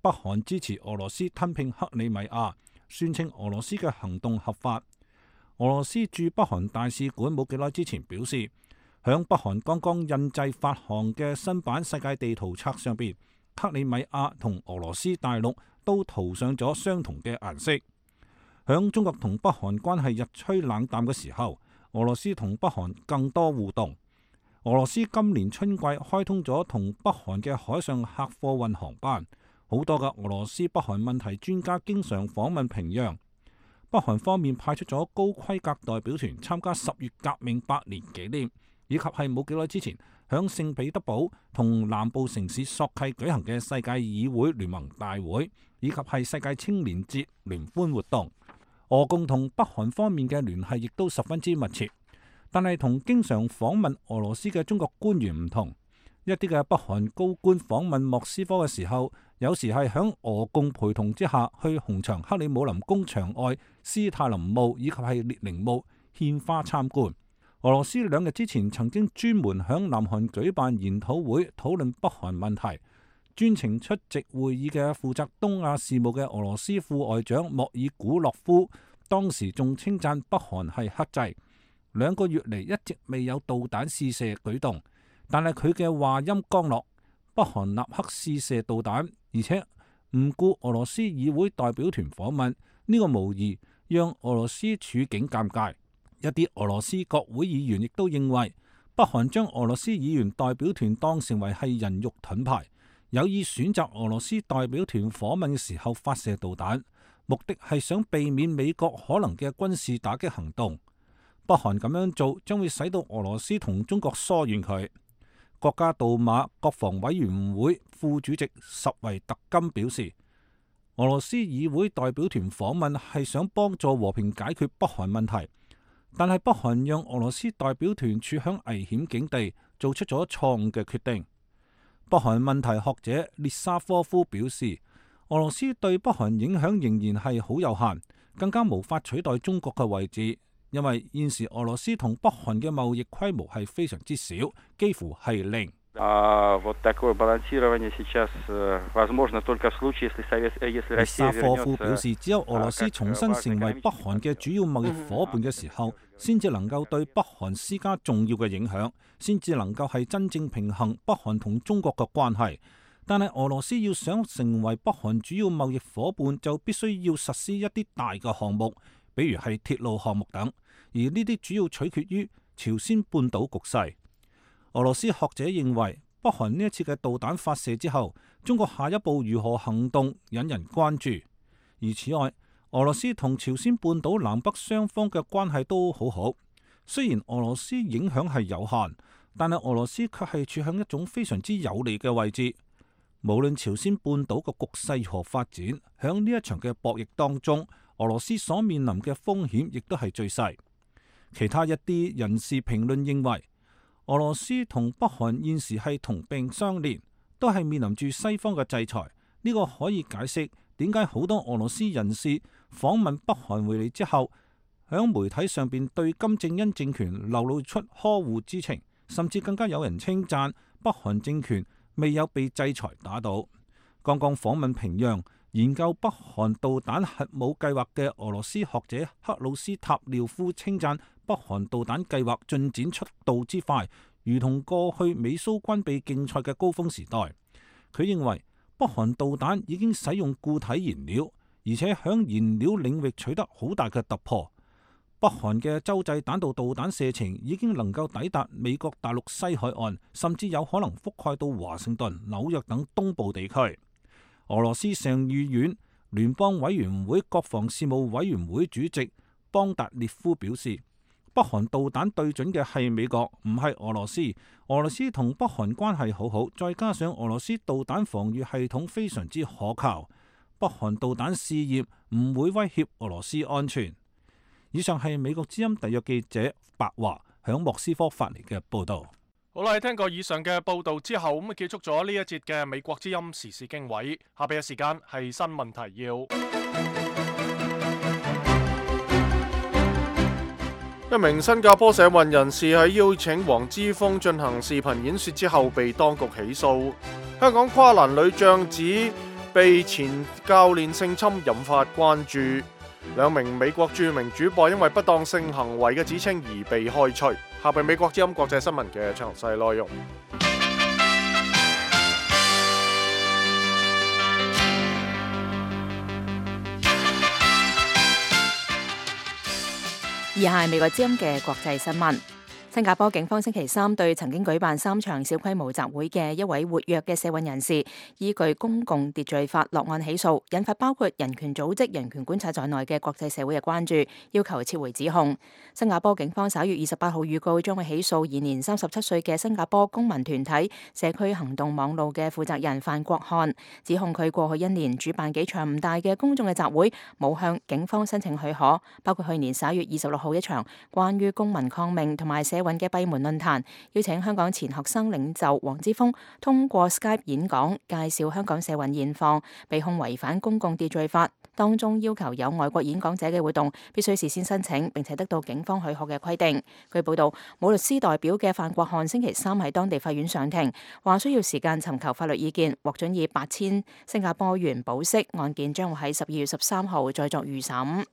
北韓支持俄羅斯吞併克里米亞，宣稱俄羅斯嘅行動合法。俄羅斯駐北韓大使館冇幾耐之前表示，響北韓剛剛印製發行嘅新版世界地圖冊上邊，克里米亞同俄羅斯大陸都塗上咗相同嘅顏色。響中國同北韓關係日趨冷淡嘅時候，俄羅斯同北韓更多互動。俄羅斯今年春季開通咗同北韓嘅海上客貨運航班，好多嘅俄羅斯北韓問題專家經常訪問平壤。北韓方面派出咗高規格代表團參加10月革命100年紀念，以及係冇幾耐之前響聖彼得堡同南部城市索契舉行嘅世界議會聯盟大會，以及係世界青年節聯歡活動。俄共同北韓方面嘅聯繫亦都十分之密切，但係同經常訪問俄羅斯嘅中國官員唔同，一啲嘅北韓高官訪問莫斯科嘅時候，有時係響俄共陪同之下去紅場克里姆林宮牆外斯泰林墓以及係列寧墓獻花參觀。俄羅斯2日之前曾經專門響南韓舉辦研討會討論北韓問題，專程出席會議嘅負責東亞事務嘅俄羅斯副外長莫爾古洛夫，當時仲稱讚北韓係克制，2個月嚟一直未有導彈試射舉動，但係佢嘅話音剛落，北韓立刻試射導彈，而且唔顧俄羅斯議會代表團訪問，呢個無疑讓俄羅斯處境尷尬。一啲俄羅斯國會議員亦都認為，北韓將俄羅斯議員代表團當成為係人肉盾牌，有意選擇俄羅斯代表團訪問嘅時候發射導彈，目的係想避免美國可能嘅軍事打擊行動。北韓咁樣做將會使到俄羅斯同中國疏遠佢。國家杜馬國防委員會副主席什維特金表示，俄羅斯議會代表團訪問係想幫助和平解決北韓問題，但係北韓讓俄羅斯代表團處響危險境地，做出咗錯誤嘅決定。北韓問題學者列沙科夫表示，俄羅斯對北韓影響仍然係好有限，更加無法取代中國嘅位置，因為現時俄羅斯同北韓嘅貿易規模係非常之少，幾乎係零。列沙科夫表示，只有俄羅斯重新成為北韓嘅主要貿易夥伴嘅時候，先至能夠對北韓施加重要嘅影響，先至能夠係真正平衡北韓同中國嘅關係。但係俄羅斯要想成為北韓主要貿易夥伴，就必須要實施一啲大嘅項目，比如係鐵路項目等，而呢啲主要取決於朝鮮半島局勢。俄羅斯學者認為，北韓呢一次嘅導彈發射之後，中國下一步如何行動引人關注。而此外，俄羅斯同朝鮮半島南北雙方嘅關係都好好，雖然俄羅斯影響係有限，但係俄羅斯卻係處喺一種非常之有利嘅位置。無論朝鮮半島嘅局勢如何發展，響呢一場嘅博弈當中，俄羅斯所面臨嘅風險亦都係最細。其他一啲人士評論認為，俄羅斯同北韓現時係同病相憐，都係面臨住西方嘅制裁。呢個可以解釋點解好多俄羅斯人士訪問北韓回嚟之後，響媒體上邊對金正恩政權流露出呵護之情，甚至更加有人稱讚北韓政權未有被制裁打倒。剛剛訪問平壤研究北韓導彈核武計劃嘅俄羅斯學者克魯斯塔廖夫稱讚北韓導彈計劃進展速度之快，如同過去美蘇軍備競賽嘅高峰時代。佢認為北韓導彈已經使用固體燃料，而且響燃料領域取得好大嘅突破。北韓嘅洲際彈道導彈射程已經能夠抵達美國大陸西海岸，甚至有可能覆蓋到華盛頓、紐約等東部地區。俄羅斯上議院聯邦委員會國防事務委員會主席邦達列夫表示，北韓導彈對準嘅係美國，唔係俄羅斯。俄羅斯同北韓關係好好，再加上俄羅斯導彈防禦系統非常之可靠，北韓導彈試驗唔會威脅俄羅斯安全。以上係美國之音特約記者白華響莫斯科發嚟嘅報道。好啦，聽過以上嘅報道之後，咁結束咗呢一節嘅美國之音時事經緯。下邊嘅時間係新聞提要。一名新加坡社運人士喺邀請黃之鋒進行視頻演說之後，被當局起訴。香港跨欄女將指被前教練性侵，引發關注。兩名美國著名主播因為不當性行為嘅指稱而被開除。下邊美國之音國際新聞嘅詳細內容。以下係美國之音嘅國際新聞。新加坡警方星期三對曾經舉辦3場小規模集會嘅一位活躍嘅社運人士，依據公共秩序法落案起訴，引發包括人權組織、人權觀察在內嘅國際社會嘅關注，要求撤回指控。新加坡警方11月28號預告將會起訴現年37歲嘅新加坡公民團體社區行動網路嘅負責人范國漢，指控佢過去1年主辦幾場唔大嘅公眾嘅集會，冇向警方申請許可，包括去年11月26號一場關於公民抗命同埋社運嘅閉門論壇，邀請香港前學生領袖黃之鋒通過 Skype 演講，介紹香港社運現況，被控違反公共秩序法，當中要求有外國演講者嘅活動必須事先申請，並且得到警方許可嘅規定。據報道，冇律師代表嘅范國漢星期三喺當地法院上庭，話需要時間尋求法律意見，獲准以8000新加坡元保釋，案件將會喺12月13號再作預審。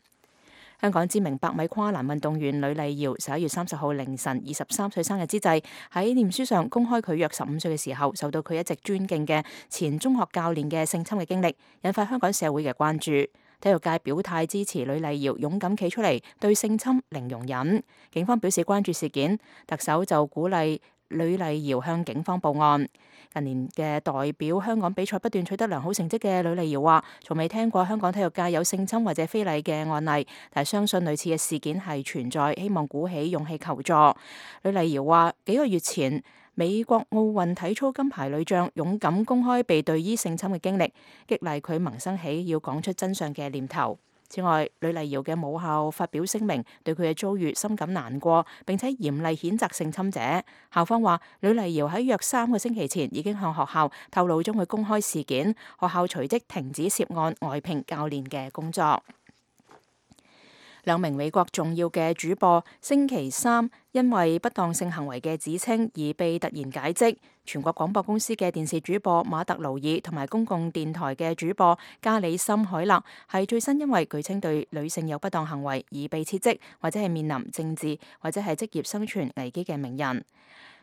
香港知名百米跨欄運動員呂麗瑤11月30號凌晨23歲生日之際，喺臉書上公開佢約15歲嘅時候受到佢一直尊敬嘅前中學教練嘅性侵嘅經歷，引發香港社會嘅關注。體育界表態支持呂麗瑤勇敢企出嚟，對性侵零容忍。警方表示關注事件，特首就鼓勵呂麗瑤向警方報案。近年嘅代表香港比賽不斷取得良好成績嘅呂麗瑤話，從未聽過香港體育界有性侵或者非禮嘅案例，但相信類似嘅事件係存在，希望鼓起勇氣求助。呂麗瑤話，幾個月前美國奧運體操金牌女將勇敢公開被隊醫性侵嘅經歷，激勵佢萌生起要講出真相嘅念頭。此外，呂麗瑤嘅母校發表聲明，對佢嘅遭遇深感難過，並且嚴厲譴責性侵者。校方話，呂麗瑤喺約3個星期前已經向學校透露將會公開事件，學校隨即停止涉案外聘教練嘅工作。兩名美國重要嘅主播星期三因為不當性行為嘅指稱而被突然解職。全國廣播公司嘅電視主播馬特勞爾同埋公共電台嘅主播加里森海勒係最新因為據稱對女性有不當行為而被撤職，或者係面臨政治或者係職業生存危機嘅名人。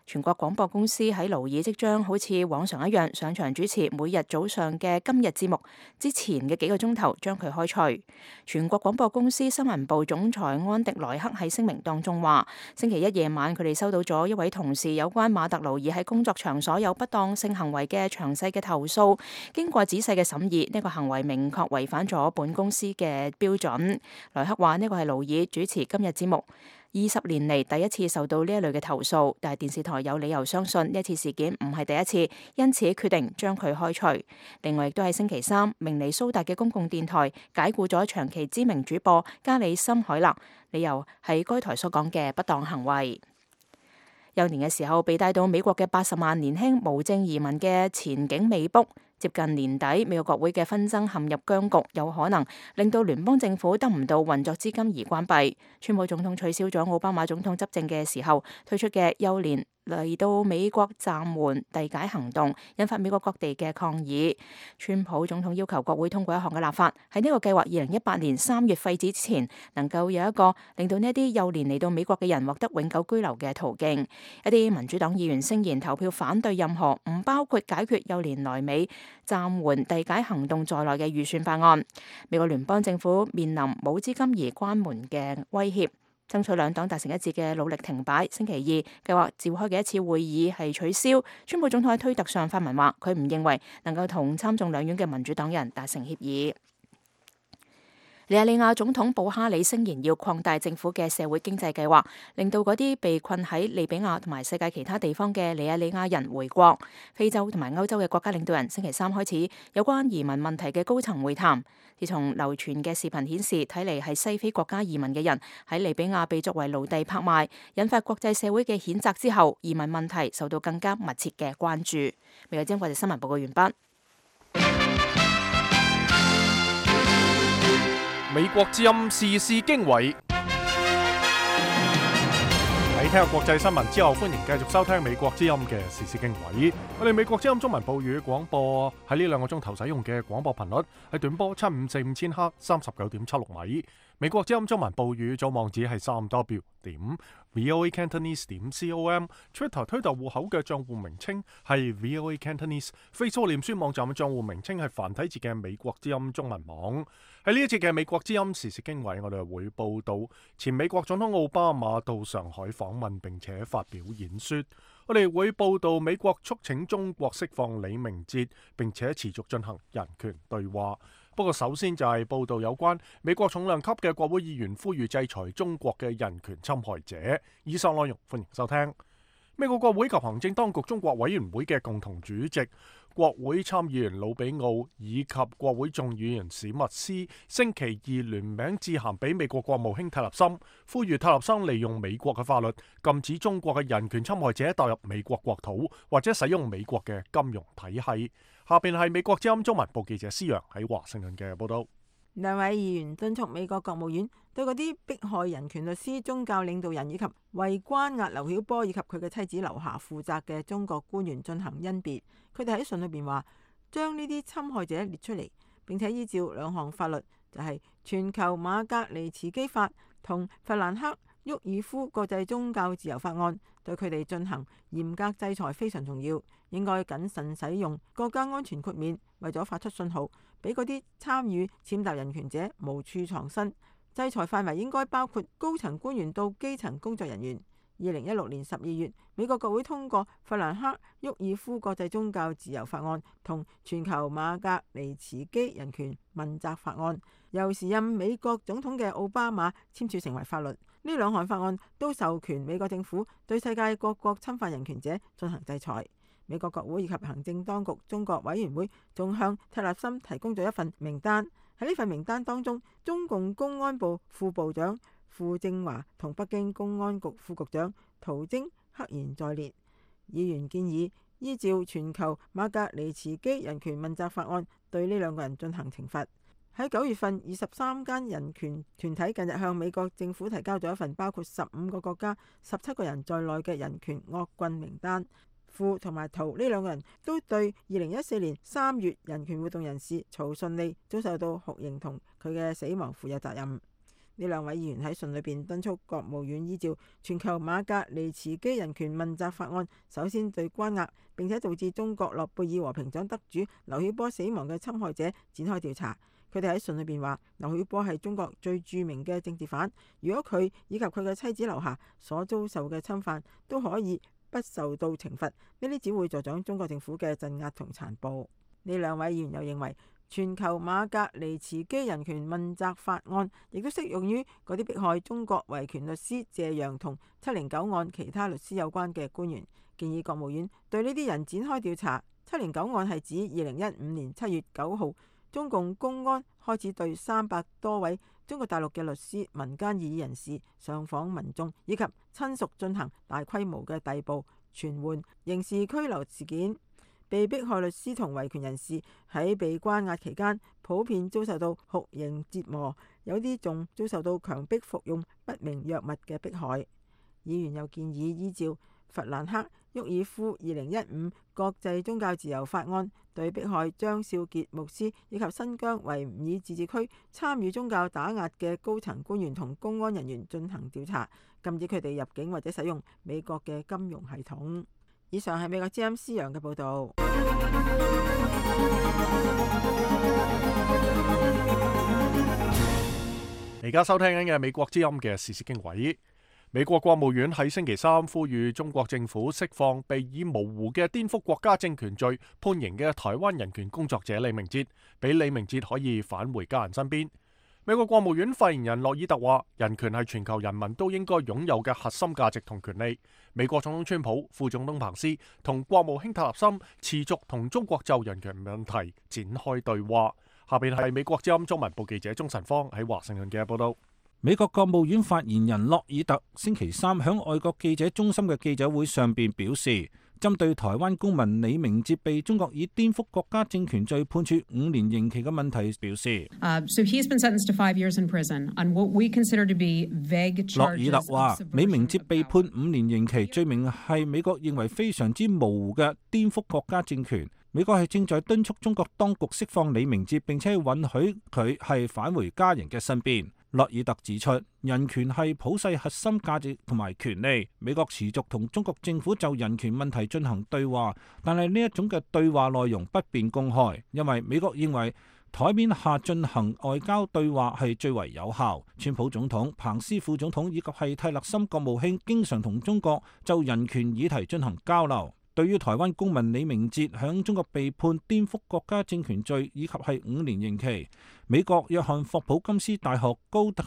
全國廣播公司喺勞爾即將好似往常一樣上場主持每日早上嘅今日節目之前嘅幾個鐘頭，將佢開除。全國廣播公司新聞部總裁安迪萊克喺聲明當中話，星期一夜晚佢哋收到咗一位同事有關馬特勞爾喺工作場所有不當性行為嘅詳細嘅投訴，經過仔細嘅審議，呢個行為明確違反咗本公司嘅標準。萊克話呢個係勞爾主持今日節目20年嚟第一次受到呢一類嘅投訴，但係電視台有理由相信呢一次事件唔係第一次，因此決定將佢開除。另外亦都係星期三，明尼蘇達嘅公共電台解僱咗長期知名主播加里森海勒，理由係該台所講嘅不當行為。幼年嘅時候被帶到美國嘅80萬年輕無證移民嘅前景未卜，接近年底美國國會嘅紛爭陷入僵局，有可能令到聯邦政府得唔到運作資金而關閉。川普總統取消咗奧巴馬總統執政嘅時候推出嘅幼年嚟到美國暫緩遞解行動，引發美國各地嘅抗議。川普總統要求國會通過一項嘅立法，喺呢個計劃2018年3月廢止之前，能夠有一個令到呢一啲幼年嚟到美國嘅人獲得永久居留嘅途徑。一啲民主黨議員聲言投票反對任何唔包括解決幼年來美暫緩遞解行動在內嘅預算法案。美國聯邦政府面臨冇資金而關門嘅威脅，爭取兩黨達成一致嘅努力停擺。星期二計劃召開嘅一次會議係取消。川普總統喺推特上發文話，佢唔認為能夠同參眾兩院嘅民主黨人達成協議。尼日利亞總統布哈里聲言要擴大政府嘅社會經濟計劃，令到嗰啲被困喺利比亞同埋世界其他地方嘅尼日利亞人回國。非洲同埋歐洲嘅國家領導人星期三開始有關移民問題嘅高層會談。自從流傳嘅視頻顯示，睇嚟係西非國家移民嘅人喺利比亞被作為奴隸拍賣，引發國際社會嘅譴責之後，移民問題受到更加密切嘅關注。美國之音國際新聞報告完畢。美國之音時事經緯，喺聽下國際新聞之後，歡迎繼續收聽美國之音嘅時事經緯。我哋美國之音中文報語廣播喺呢2個鐘頭使用嘅廣播頻率係短波7545千赫39.76米。美國之音中文報語組網址係3w.voacantonese.com，Twitter 推特戶口嘅賬戶名稱係 VOA Cantonese，Facebook 臉書網站嘅賬戶名稱係繁體字嘅美國之音中文網。喺呢一節嘅美國之音時事經緯，我哋會報道前美國總統奧巴馬到上海訪問並且發表演說。我哋會報道美國促請中國釋放李明哲，並且持續進行人權對話。不過首先就係報道有關美國重量級嘅國會議員呼籲制裁中國嘅人權侵害者。以上內容歡迎收聽。美國國會及行政當局中國委員會嘅共同主席、國會參議員魯比奧以及國會眾議員史密斯星期二聯名致函俾美國國務卿泰勒森，呼籲泰勒森利用美國嘅法律禁止中國嘅人權侵害者踏入美國國土或者使用美國嘅金融體系。下邊係美國之音中文部記者施陽喺華盛頓嘅報道。兩位議員敦促美國國務院對嗰啲迫害人權律師、宗教領導人以及為關押劉曉波以及佢嘅妻子劉霞負責嘅中國官員進行甄別。佢哋喺信裏邊話，將呢啲侵害者列出嚟，並且依照2項法律，就係全球馬格尼茨基法同弗蘭克沃爾夫國際宗教自由法案，對佢哋進行嚴格制裁非常重要。應該謹慎使用國家安全豁免，為咗發出信號，俾嗰啲參與踐踏人權者無處藏身。制裁範圍應該包括高層官員到基層工作人員。2016年12月，美國國會通過弗蘭克沃爾夫國際宗教自由法案同全球馬格尼茨基人權問責法案，由時任美國總統嘅奧巴馬簽署成為法律。呢2項法案都授權美國政府對世界各國侵犯人權者進行制裁。美國國會以及行政當局中國委員會仲向泰勒森提供咗一份名單。喺呢份名單當中，中共公安部副部長傅政華同北京公安局副局長陶晶赫然在列。議員建議依照全球馬格尼茨基人權問責法案對呢2個人進行懲罰。喺9月份，23間人權團體近日向美國政府提交咗一份包括15個國家、17個人在內嘅人權惡棍名單。傅同埋陶呢2個人都對2014年3月人權活動人士曹順利遭受到酷刑同佢嘅死亡負有責任。呢2位議員喺信裏邊敦促國務院依照全球馬格尼茨基人權問責法案，首先對關押並且導致中國諾貝爾和平獎得主劉曉波死亡嘅侵害者展開調查。佢哋喺信裏邊話，劉曉波係中國最著名嘅政治犯，如果佢以及佢嘅妻子劉霞所遭受嘅侵犯都可以不受到懲罰，呢啲只會助長中國政府嘅鎮壓同殘暴。呢2位議員又認為，全球馬格尼茨基人權問責法案亦都適用於嗰啲迫害中國維權律師謝陽同709案其他律師有關嘅官員，建議國務院對呢啲人展開調查。709案係指2015年7月9號，中共公安開始對300多位中國大陸嘅律師、民間異議人士、上訪民眾以及親屬進行大規模嘅逮捕、傳喚、刑事拘留事件。被迫害律師同維權人士喺被關押期間，普遍遭受到酷刑折磨，有啲仲遭受到強迫服用不明藥物嘅迫害。議員又建議依照弗蘭克·沃爾夫2015國際宗教自由法案，對迫害張少傑牧師以及新疆維吾爾自治區參與宗教打壓嘅高層官員同公安人員進行調查，禁止佢哋入境或者使用美國嘅金融系統。以上係美國之音施洋嘅報導。而家收聽緊嘅美國之音嘅時事經緯，美國國務院喺星期三呼籲中國政府釋放被以模糊嘅顛覆國家政權罪判刑嘅台灣人權工作者李明哲，俾李明哲可以返回家人身邊。美國國務院發言人洛爾特話：人權係全球人民都應該擁有嘅核心價值同權利。美國總統川普、副總統彭斯同國務卿塔納森持續同中國就人權問題展開對話。下邊係美國之音中文部記者鍾晨芳喺華盛頓嘅報道。美國國務院發言人洛爾特星期三喺外國記者中心嘅記者會上邊表示，針對台灣公民李明哲被中國以顛覆國家政權罪判處5年刑期嘅問題表示，So he's been sentenced to 5 years in prison on what we consider to be vague charges. 洛爾特話，李明哲被判5年刑期，罪名係美國認為非常之模糊嘅顛覆國家政權。美國係正在敦促中國當局釋放李明哲，並且允許佢係返回家人嘅身邊。洛爾特指出，人權係普世核心價值同埋權利。美國持續同中國政府就人權問題進行對話，但係呢一種嘅對話內容不便公開，因為美國認為台面下進行外交對話係最為有效。川普總統、彭斯副總統以及係蒂勒森國務卿經常同中國就人權議題進行交流。對於台灣公民李明哲響中國被判顛覆國家政權罪以及係5年刑期，美國約翰霍普金斯大學高級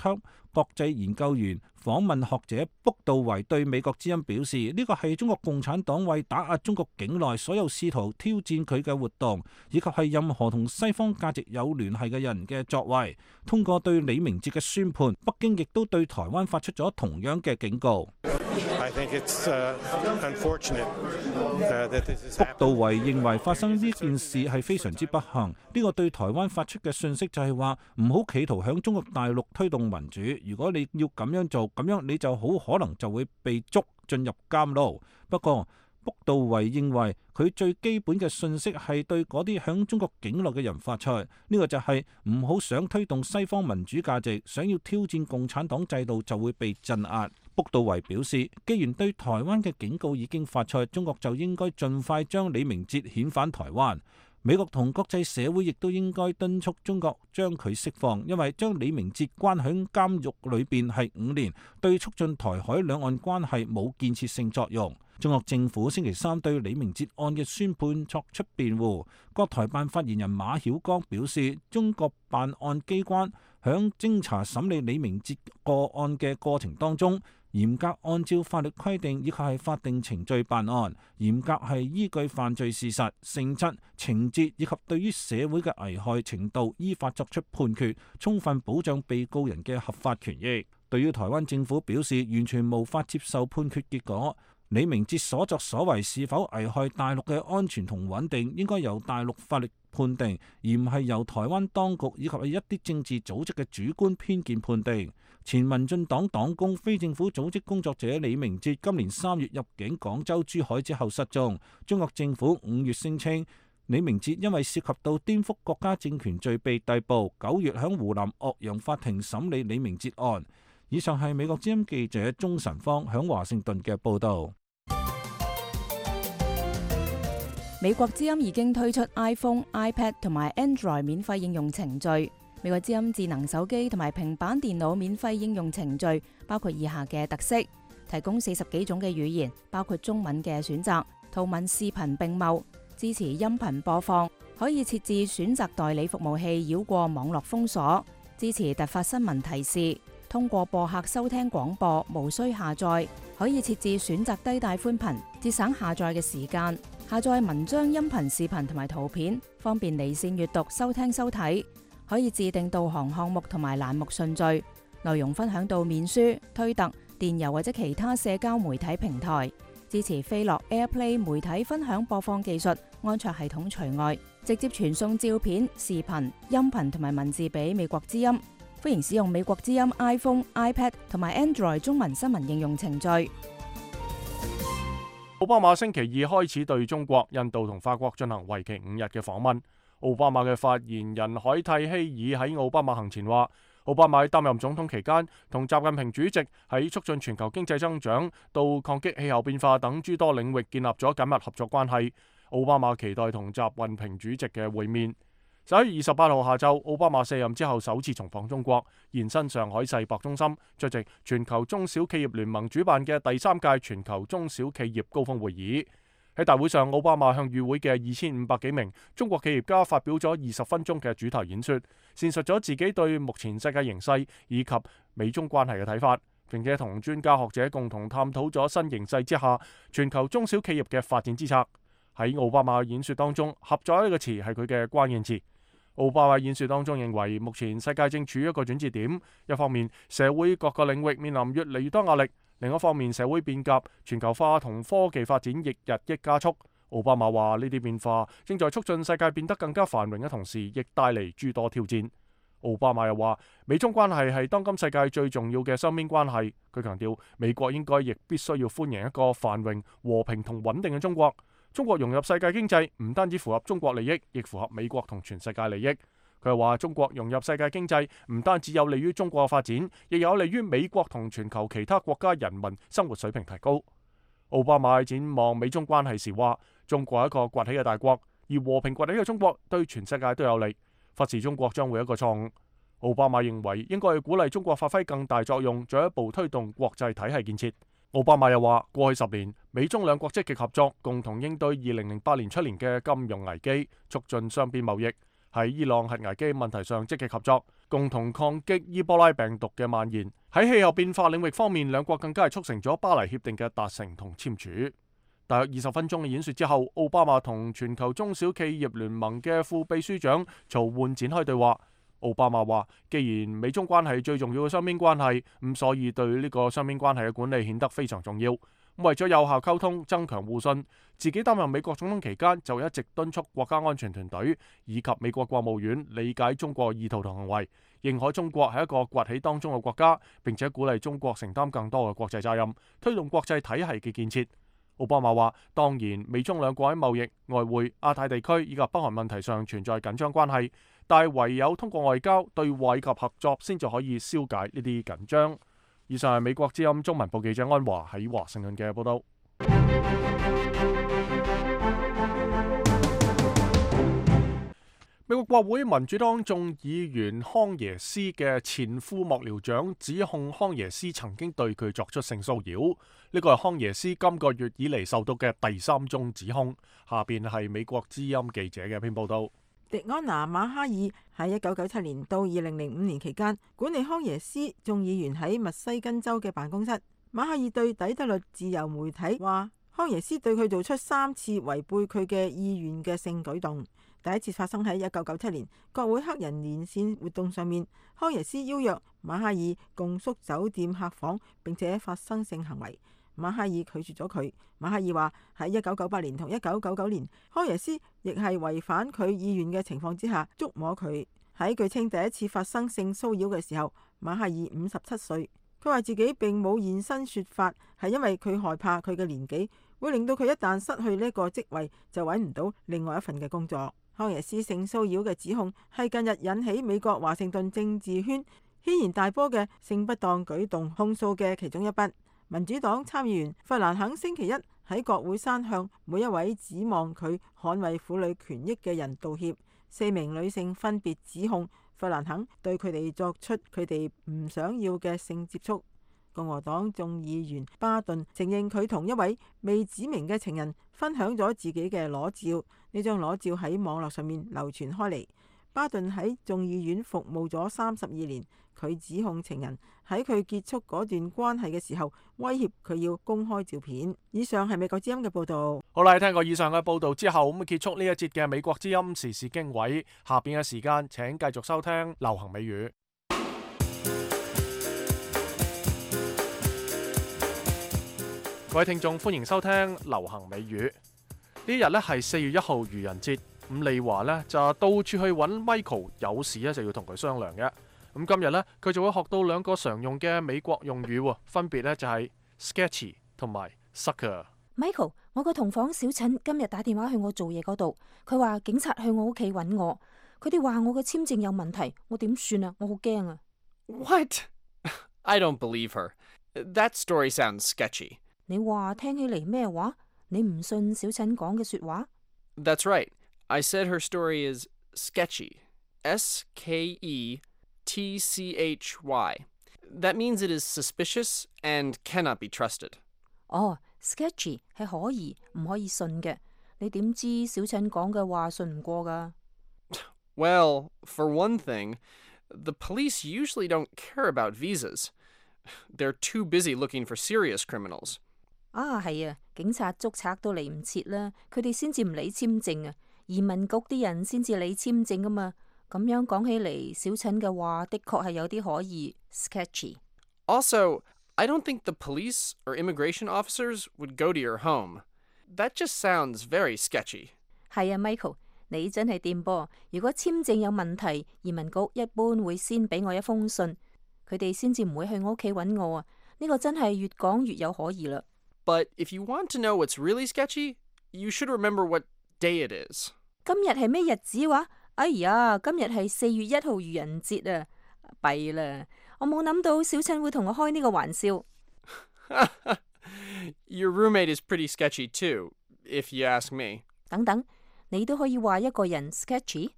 國際研究員訪問學者卜道維對美國之音表示，呢個係中國共產黨為打壓中國境內所有試圖挑戰佢嘅活動，以及係任何同西方價值有聯繫嘅人嘅作為。通過對李明哲嘅宣判，北京亦都對台灣發出咗同樣嘅警告。卜道維認為發生呢件事係非常之不幸，呢個對台灣發出嘅訊息就係話唔好企圖響中國大陸推動民主，如果你要咁樣做，咁樣你就好可能就會被捉進入監牢。不過卜道維認為佢最基本嘅訊息係對嗰啲響中國境內嘅人發出，呢個就係唔好想推動西方民主價值，想要挑戰共產黨制度就會被鎮壓。卜道維表示，既然對台灣嘅警告已經發出，中國就應該盡快將李明哲遣返台灣。美國同國際社會亦都應該敦促中國將佢釋放，因為將李明哲關喺監獄裏邊係5年，對促進台海兩岸關係冇建設性作用。中國政府星期三對李明哲案嘅宣判作出辯護。國台辦發言人馬曉光表示，中國辦案機關響偵查審理李明哲個案嘅過程當中，嚴格按照法律規定以及係法定程序辦案，嚴格係依據犯罪事實、性質、情節以及對於社會嘅危害程度依法作出判決，充分保障被告人嘅合法權益。對於台灣政府表示完全無法接受判決結果，李明哲所作所為是否危害大陸嘅安全同穩定，應該由大陸法律判定，而唔係由台灣當局以及一啲政治組織嘅主觀偏見判定。前民進黨黨工、非政府組織工作者李明哲今年3月入境廣州、珠海之後失蹤。中國政府5月聲稱李明哲因為涉及到顛覆國家政權罪被逮捕，9月響湖南岳陽法庭審理李明哲案。以上係美國之音記者鍾晨芳響華盛頓嘅報道。美國之音已經推出 iPhone、iPad 同埋 Android 免費應用程序。美國之音智能手機同埋平板電腦免費應用程序包括以下嘅特色：提供40幾種嘅語言，包括中文嘅選擇，圖文視頻並茂，支持音頻播放，可以設置選擇代理服務器繞過網絡封鎖，支持突發新聞提示，通過播客收聽廣播，無需下載，可以設置選擇低帶寬頻，節省下載嘅時間，下載文章、音頻、視頻同埋圖片，方便離線閱讀、收聽收睇。可以自定導航項目同埋欄目順序，內容分享到面書、推特、電郵或者其他社交媒體平台，支持飛樂 AirPlay 媒體分享播放技術，安卓系統除外，直接傳送照片、視頻、音頻同埋文字俾美國之音。歡迎使用美國之音 iPhone、iPad 同埋 Android 中文新聞應用程序。奧巴馬星期二開始對中國、印度同法國進行為期5日嘅訪問。奧巴馬嘅發言人凱蒂希爾喺奧巴馬行前話，奧巴馬喺擔任總統期間同習近平主席喺促進全球經濟增長到抗擊氣候變化等諸多領域建立咗緊密合作關係。奧巴馬期待同習近平主席嘅會面。11月28號下晝，奧巴馬卸任之後首次重訪中國，現身上海世博中心出席全球中小企業聯盟主辦嘅第3屆全球中小企業高峰會議。喺大會上，奧巴馬向與會嘅2500幾名中國企業家發表咗20分鐘嘅主題演說，闡述咗自己對目前世界形勢以及美中關係嘅睇法，並且同專家學者共同探討咗新形勢之下全球中小企業嘅發展之策。喺奧巴馬演說當中，合作呢個詞係佢嘅關鍵詞。奧巴馬演說當中認為，目前世界正處於一個轉折點，一方面社會各個領域面臨越嚟越多壓力，另一方面社會變革、全球化同科技發展亦日益加速。奧巴馬話呢啲變化正在促進世界變得更加繁榮嘅同時，亦帶嚟諸多挑戰。奧巴馬又話，美中關係係當今世界最重要嘅雙邊關係。佢強調，美國應該亦必須要歡迎一個繁榮、和平同穩定嘅中國。中國融入世界經濟唔單止符合中國利益，亦符合美國同全世界利益。佢又話，中國融入世界經濟唔單止有利於中國嘅發展，亦有利於美國同全球其他國家人民生活水平提高。奧巴馬展望美中關係時話，中國係一個崛起嘅大國，而和平崛起嘅中國對全世界都有利。忽視中國將會一個錯誤。奧巴馬認為應該去鼓勵中國發揮更大作用，進一步推動國際體系建設。奧巴馬又話，過去10年，美中兩國積極合作，共同應對2008年出年嘅金融危機，促進雙邊貿易；喺伊朗核危機問題上積極合作，共同抗擊伊波拉病毒嘅蔓延。喺氣候變化領域方面，兩國更加係促成咗巴黎協定嘅達成同簽署。大約20分鐘嘅演說之後，奧巴馬同全球中小企業聯盟嘅副秘書長曹煥展開對話。奧巴馬話，既然美中關係最重要嘅雙邊關係，咁所以對呢個雙邊關係嘅管理顯得非常重要。為咗有效溝通、增強互信，自己擔任美國總統期間就一直敦促國家安全團隊以及美國國務院理解中國意圖同行為，認可中國係一個崛起當中嘅國家，並且鼓勵中國承擔更多嘅國際責任，推動國際體系嘅建設。奧巴馬話，當然美中兩國喺貿易、外匯、亞太地區以及北韓問題上存在緊張關係，但係唯有通過外交、對話以及合作，先至可以消解呢啲緊張。以上係美國之音中文部記者安華喺華盛頓嘅報道。美國國會民主黨眾議員康耶斯嘅前副幕僚長指控康耶斯曾經對佢作出性騷擾，呢個係康耶斯今個月以嚟受到嘅第3宗指控。下邊係美國之音記者嘅一篇報道。迪安娜馬哈爾喺1997年到2005年期間管理康耶斯眾議員喺密西根州嘅辦公室。馬哈爾對底特律自由媒體話，康耶斯對佢做出3次違背佢嘅意願嘅性舉動。第一次發生喺1997年國會黑人連線活動上面，康耶斯邀約馬哈爾共宿酒店客房，並且發生性行為。馬哈爾拒絕咗佢。馬哈爾話喺1998年同1999年，康耶斯亦係違反佢意願嘅情況之下觸摸佢。喺據稱第一次發生性騷擾嘅時候，馬哈爾57歲。佢話自己並冇現身說法，係因為佢害怕佢嘅年紀會令到佢一旦失去呢個職位就揾唔到另外一份嘅工作。康耶斯性騷擾嘅指控係近日引起美國華盛頓政治圈軒然大波嘅性不當舉動控訴嘅其中一筆。民主黨參議員弗蘭肯星期一喺國會山向每一位指望佢捍衛婦女權益嘅人道歉。4名女性分別指控弗蘭肯對佢哋作出佢哋唔想要嘅性接觸。共和黨眾議員巴頓承認佢同一位未指明嘅情人分享咗自己嘅裸照，呢張裸照喺網絡上面流傳開嚟。巴頓喺眾議院服務咗32年，佢指控情人喺佢結束嗰段關係嘅時候威脅佢要公開照片。以上係美國之音嘅報道。好啦，聽過以上嘅報道之後，咁結束呢一節嘅美國之音時事經緯。下邊嘅時間請繼續收聽流行美語。各位聽眾，歡迎收聽流行美語。呢日咧係4月1號愚人節，咁利華咧就到處去揾 Michael， 有事咧就要同佢商量嘅。咁今日咧佢就會學到2個常用嘅美國用語，分別咧就係 sketchy 同埋 sucker。Michael， 我個同房小陳今日打電話去我做嘢嗰度，佢話警察去我屋企揾我，佢哋話我嘅簽證有問題，我點算啊？我好驚啊！ What? I don't believe her. That story sounds sketchy. 你話聽起嚟咩話？你唔信小陳講嘅說話？ That's right. I said her story is sketchy. S-K-E-T-C-H-Y. That means it is suspicious and cannot be trusted. 哦，sketchy 係可疑唔可以信嘅。你點知小陳講嘅話信唔過㗎？ Well, for one thing, the police usually don't care about visas. They're too busy looking for serious criminals. 啊，係啊，警察捉賊都嚟唔切啦，佢哋先至唔理簽證啊，移民局啲人先至理簽證㗎嘛。咁樣講起嚟，小陳嘅話的確係有啲可疑 sketchy。 Also, I don't think the police or immigration officers would go to your home. That just sounds very sketchy. 係啊 ，Michael， 你真係掂噃。如果簽證有問題，移民局一般會先俾我一封信，佢哋先至唔會去我屋企揾我啊。呢個真係越講越有可疑啦。But if you want to know what's really sketchy, you should remember what day it is. 今日係咩日子話？哎呀，今日係4月1號愚人節啊！弊啦，我冇諗到小陳會同我開呢個玩笑。Your roommate is pretty sketchy too, if you ask me. 等等，你都可以話一個人 sketchy？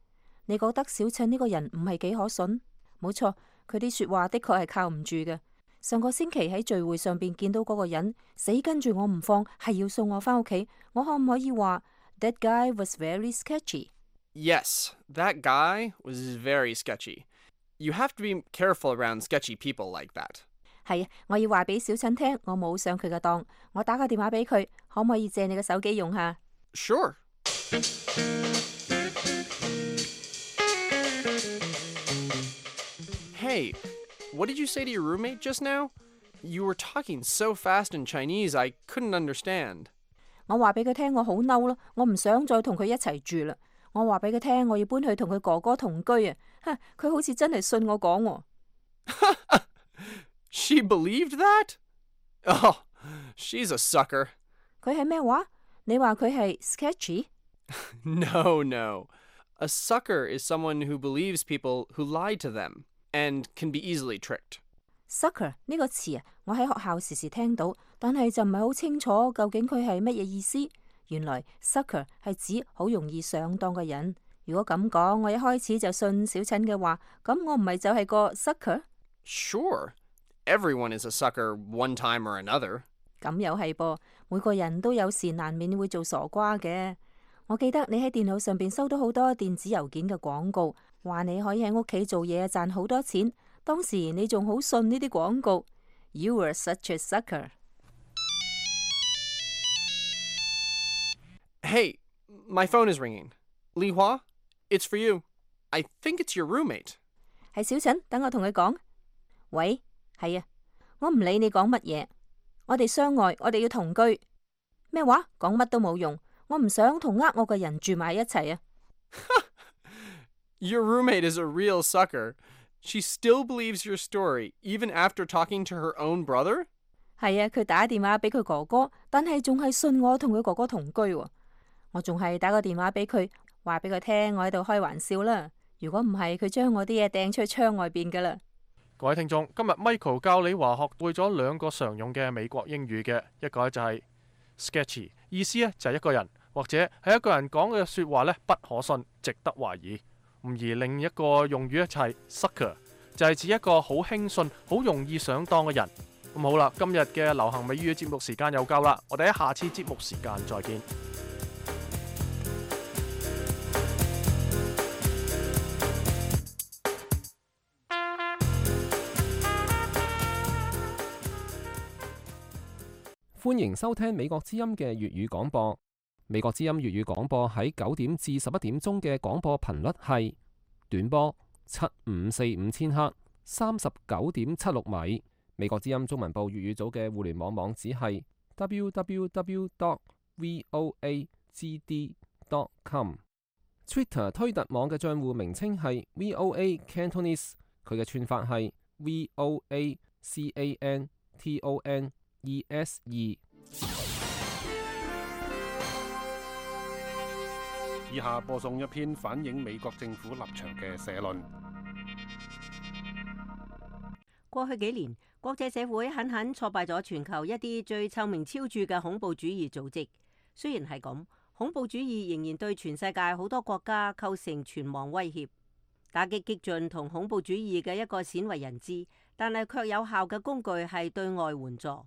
你覺得小陳呢個人唔係幾可信？冇錯，佢啲說話的確係靠唔住嘅。上個星期喺聚會上邊見到嗰個人死跟住我唔放，係要送我返屋企，我可唔可以話 That guy was very sketchy？ Yes, that guy was very sketchy. You have to be careful around sketchy people like that. 係啊，我要話俾小陳聽，我冇上佢嘅當，我打個電話俾佢，可唔可以借你嘅手機用下？ Sure. Hey, what did you say to your roommate just now? You were talking so fast in Chinese, I couldn't understand. 我話俾佢聽，我好嬲咯，我唔想再同佢一齊住啦。我話俾佢聽，我要搬去同佢哥哥同居啊！佢好似真係信我講喎。She believed that? Oh, she's a sucker. 佢係咩話？你話佢係 sketchy？ No, no. A sucker is someone who believes people who lie to them and can be easily tricked. Sucker 呢個詞啊，我喺學校時時聽到，但係就唔係好清楚究竟佢係乜嘢意思。原來 sucker 係指好容易上當嘅人。如果咁講，我一開始就信小陳嘅話，咁我唔係就係個 sucker？ Sure. Everyone is a sucker one time or another. 咁又係噃，每個人都有時難免會做傻瓜嘅。我記得你喺電腦上邊收到好多電子郵件嘅廣告，話你可以喺屋企做嘢賺好多錢。當時你仲好信呢啲廣告。You were such a sucker. Hey, my phone is ringing. Li Hua, it's for you. I think it's your roommate. 係小陳，等我同佢講。喂，係啊，我唔理你講乜嘢，我哋相愛，我哋要同居。咩話？講乜都冇用，我唔想同我嘅人住埋一齊啊。Your roommate is a real sucker. She still believes your story, even after talking to her own brother? 係啊，佢打電話俾佢哥哥，但係仲係信我同佢哥哥同居喎。我仲係打個電話俾佢，話俾佢聽我喺度開玩笑啦。如果唔係，佢將我啲嘢掟出去窗外邊噶啦。各位聽眾，今日 Michael 教你話學會咗2個常用嘅美國英語嘅，一個就係 sketchy， 意思呢就係一個人或者係一個人講嘅說話呢不可信，值得懷疑。而另一個用語呢就係 sucker， 就係指一個好輕信、好容易上當嘅人。咁好啦，今日嘅流行美語節目時間又夠啦，我哋喺下次節目時間再見。歡迎收聽美國之音嘅粵語廣播。美國之音粵語廣播喺9點至11點鐘嘅廣播頻率係短波7545千赫39.76米。美國之音中文部粵語組嘅互聯網網址係 www.voagd.com。Twitter 推特網嘅帳戶名稱係 VOA Cantonese， 佢嘅串法係 VOACANTONESE。以下播送一篇反映美國政府立場嘅社論。過去幾年，國際社會狠狠挫敗咗全球一啲最臭名昭著嘅恐怖主義組織。雖然係咁，恐怖主義仍然對全世界好多國家構成存亡威脅。打擊激進同恐怖主義嘅一個鮮為人知，但係卻有效嘅工具係對外援助。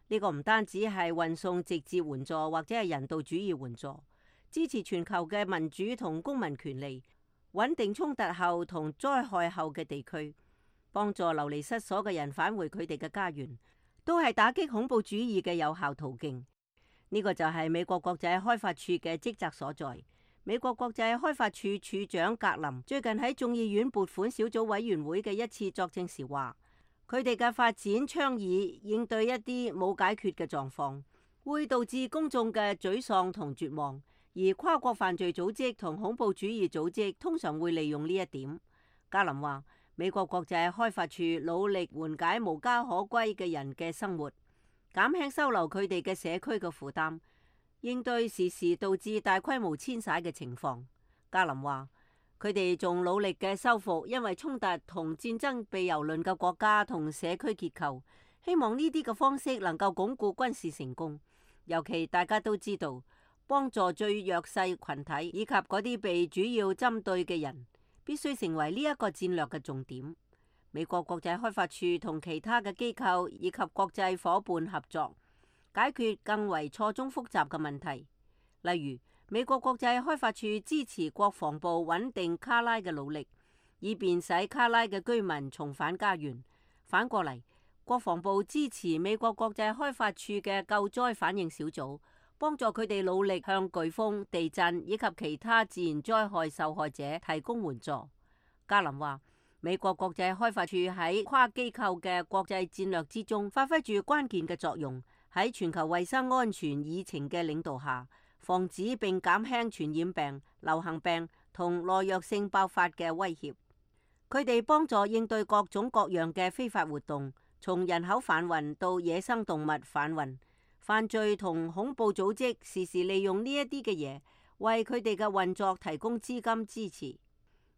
呢個唔單止係運送直接援助或者係人道主義援助，支持全球嘅民主同公民權利，穩定衝突後同災害後嘅地區，幫助流離失所嘅人返回佢哋嘅家園，都係打擊恐怖主義嘅有效途徑。呢個就係美國國際開發處嘅職責所在。美國國際開發處處長格林最近喺眾議院撥款小組委員會嘅一次作證時話，佢哋嘅發展倡議應對一啲冇解決嘅狀況，會導致公眾嘅沮喪同絕望，而跨國犯罪組織同恐怖主義組織通常會利用呢一點。格林話，美國國際開發處努力緩解無家可歸嘅人嘅生活，減輕收留佢哋嘅社區嘅負擔，應對時時導致大規模遷徙嘅情況。格林話，佢哋仲努力嘅修復因為衝突同戰爭被蹂躪嘅國家同社區結構，希望呢啲嘅方式能夠鞏固軍事成功。尤其大家都知道，幫助最弱勢群體以及嗰啲被主要針對嘅人，必須成為呢一個戰略嘅重點。美國國際開發處同其他嘅機構以及國際夥伴合作，解決更為錯綜複雜嘅問題。例如，美國國際開發處支持國防部穩定卡拉嘅努力，以便使卡拉嘅居民重返家園。反過嚟，國防部支持美國國際開發處嘅救災反應小組，幫助佢哋努力向颶風、地震以及其他自然災害受害者提供援助。格林話，美國國際開發處喺跨機構嘅國際戰略之中發揮住關鍵嘅作用，喺全球衛生安全議程嘅領導下，防止並減輕傳染病、流行病同耐藥性爆發嘅威脅。佢哋幫助應對各種各樣嘅非法活動，從人口販運到野生動物販運。犯罪同恐怖組織時時利用呢一啲嘅嘢，為佢哋嘅運作提供資金支持。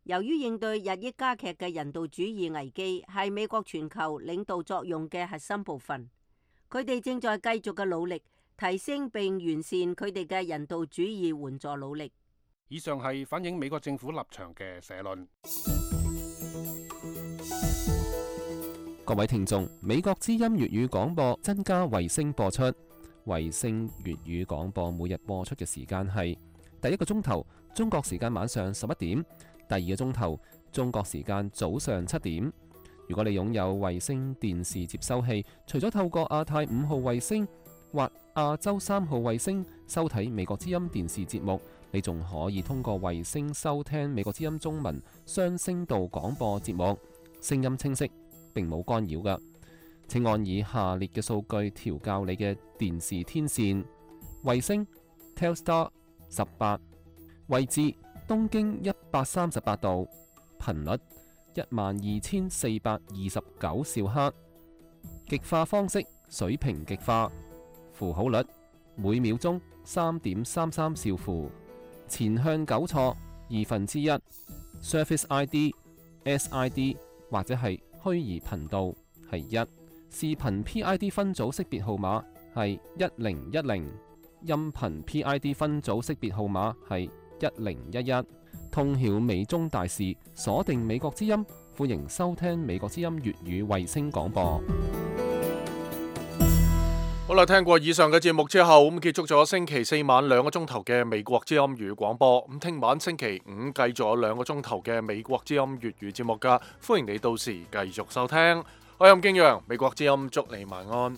由於應對日益加劇嘅人道主義危機係美國全球領導作用嘅核心部分，佢哋正在繼續嘅努力，提升並完善佢哋嘅人道主義援助努力。以上係反映美國政府立場嘅社論。各位聽眾，美國之音粵語廣播增加衛星播出。衛星粵語廣播每日播出嘅時間係第一個鐘頭中國時間晚上11點，第二個鐘頭中國時間早上7點。如果你擁有衛星電視接收器，除咗透過亞太5號衛星或亞洲3號衛星收睇美國之音電視節目，你仲可以通過衛星收聽美國之音中文雙聲道廣播節目，聲音清晰，並冇干擾㗎。請按以下列嘅數據調校你嘅電視天線：衛星 Telstar 18，位置東經138度，頻率12429兆赫，極化方式水平極化，符號率每秒鐘3.33兆符，前向糾錯1/2， Service ID、SID 或者係虛擬頻道係1。視頻 PID 分組識別號碼係1010，音頻 PID 分組識別號碼係1011。通曉美中大事，鎖定美國之音，歡迎收聽美國之音粵語衛星廣播。好啦，聽過以上嘅節目之後，咁結束咗星期4晚2個鐘頭嘅美國之音粵語廣播。咁聽晚星期5繼續有2個鐘頭嘅美國之音粵語節目噶，歡迎你到時繼續收聽。我係任敬陽，美國之音祝你晚安。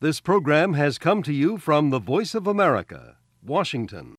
This program has come to you from the Voice of America, Washington.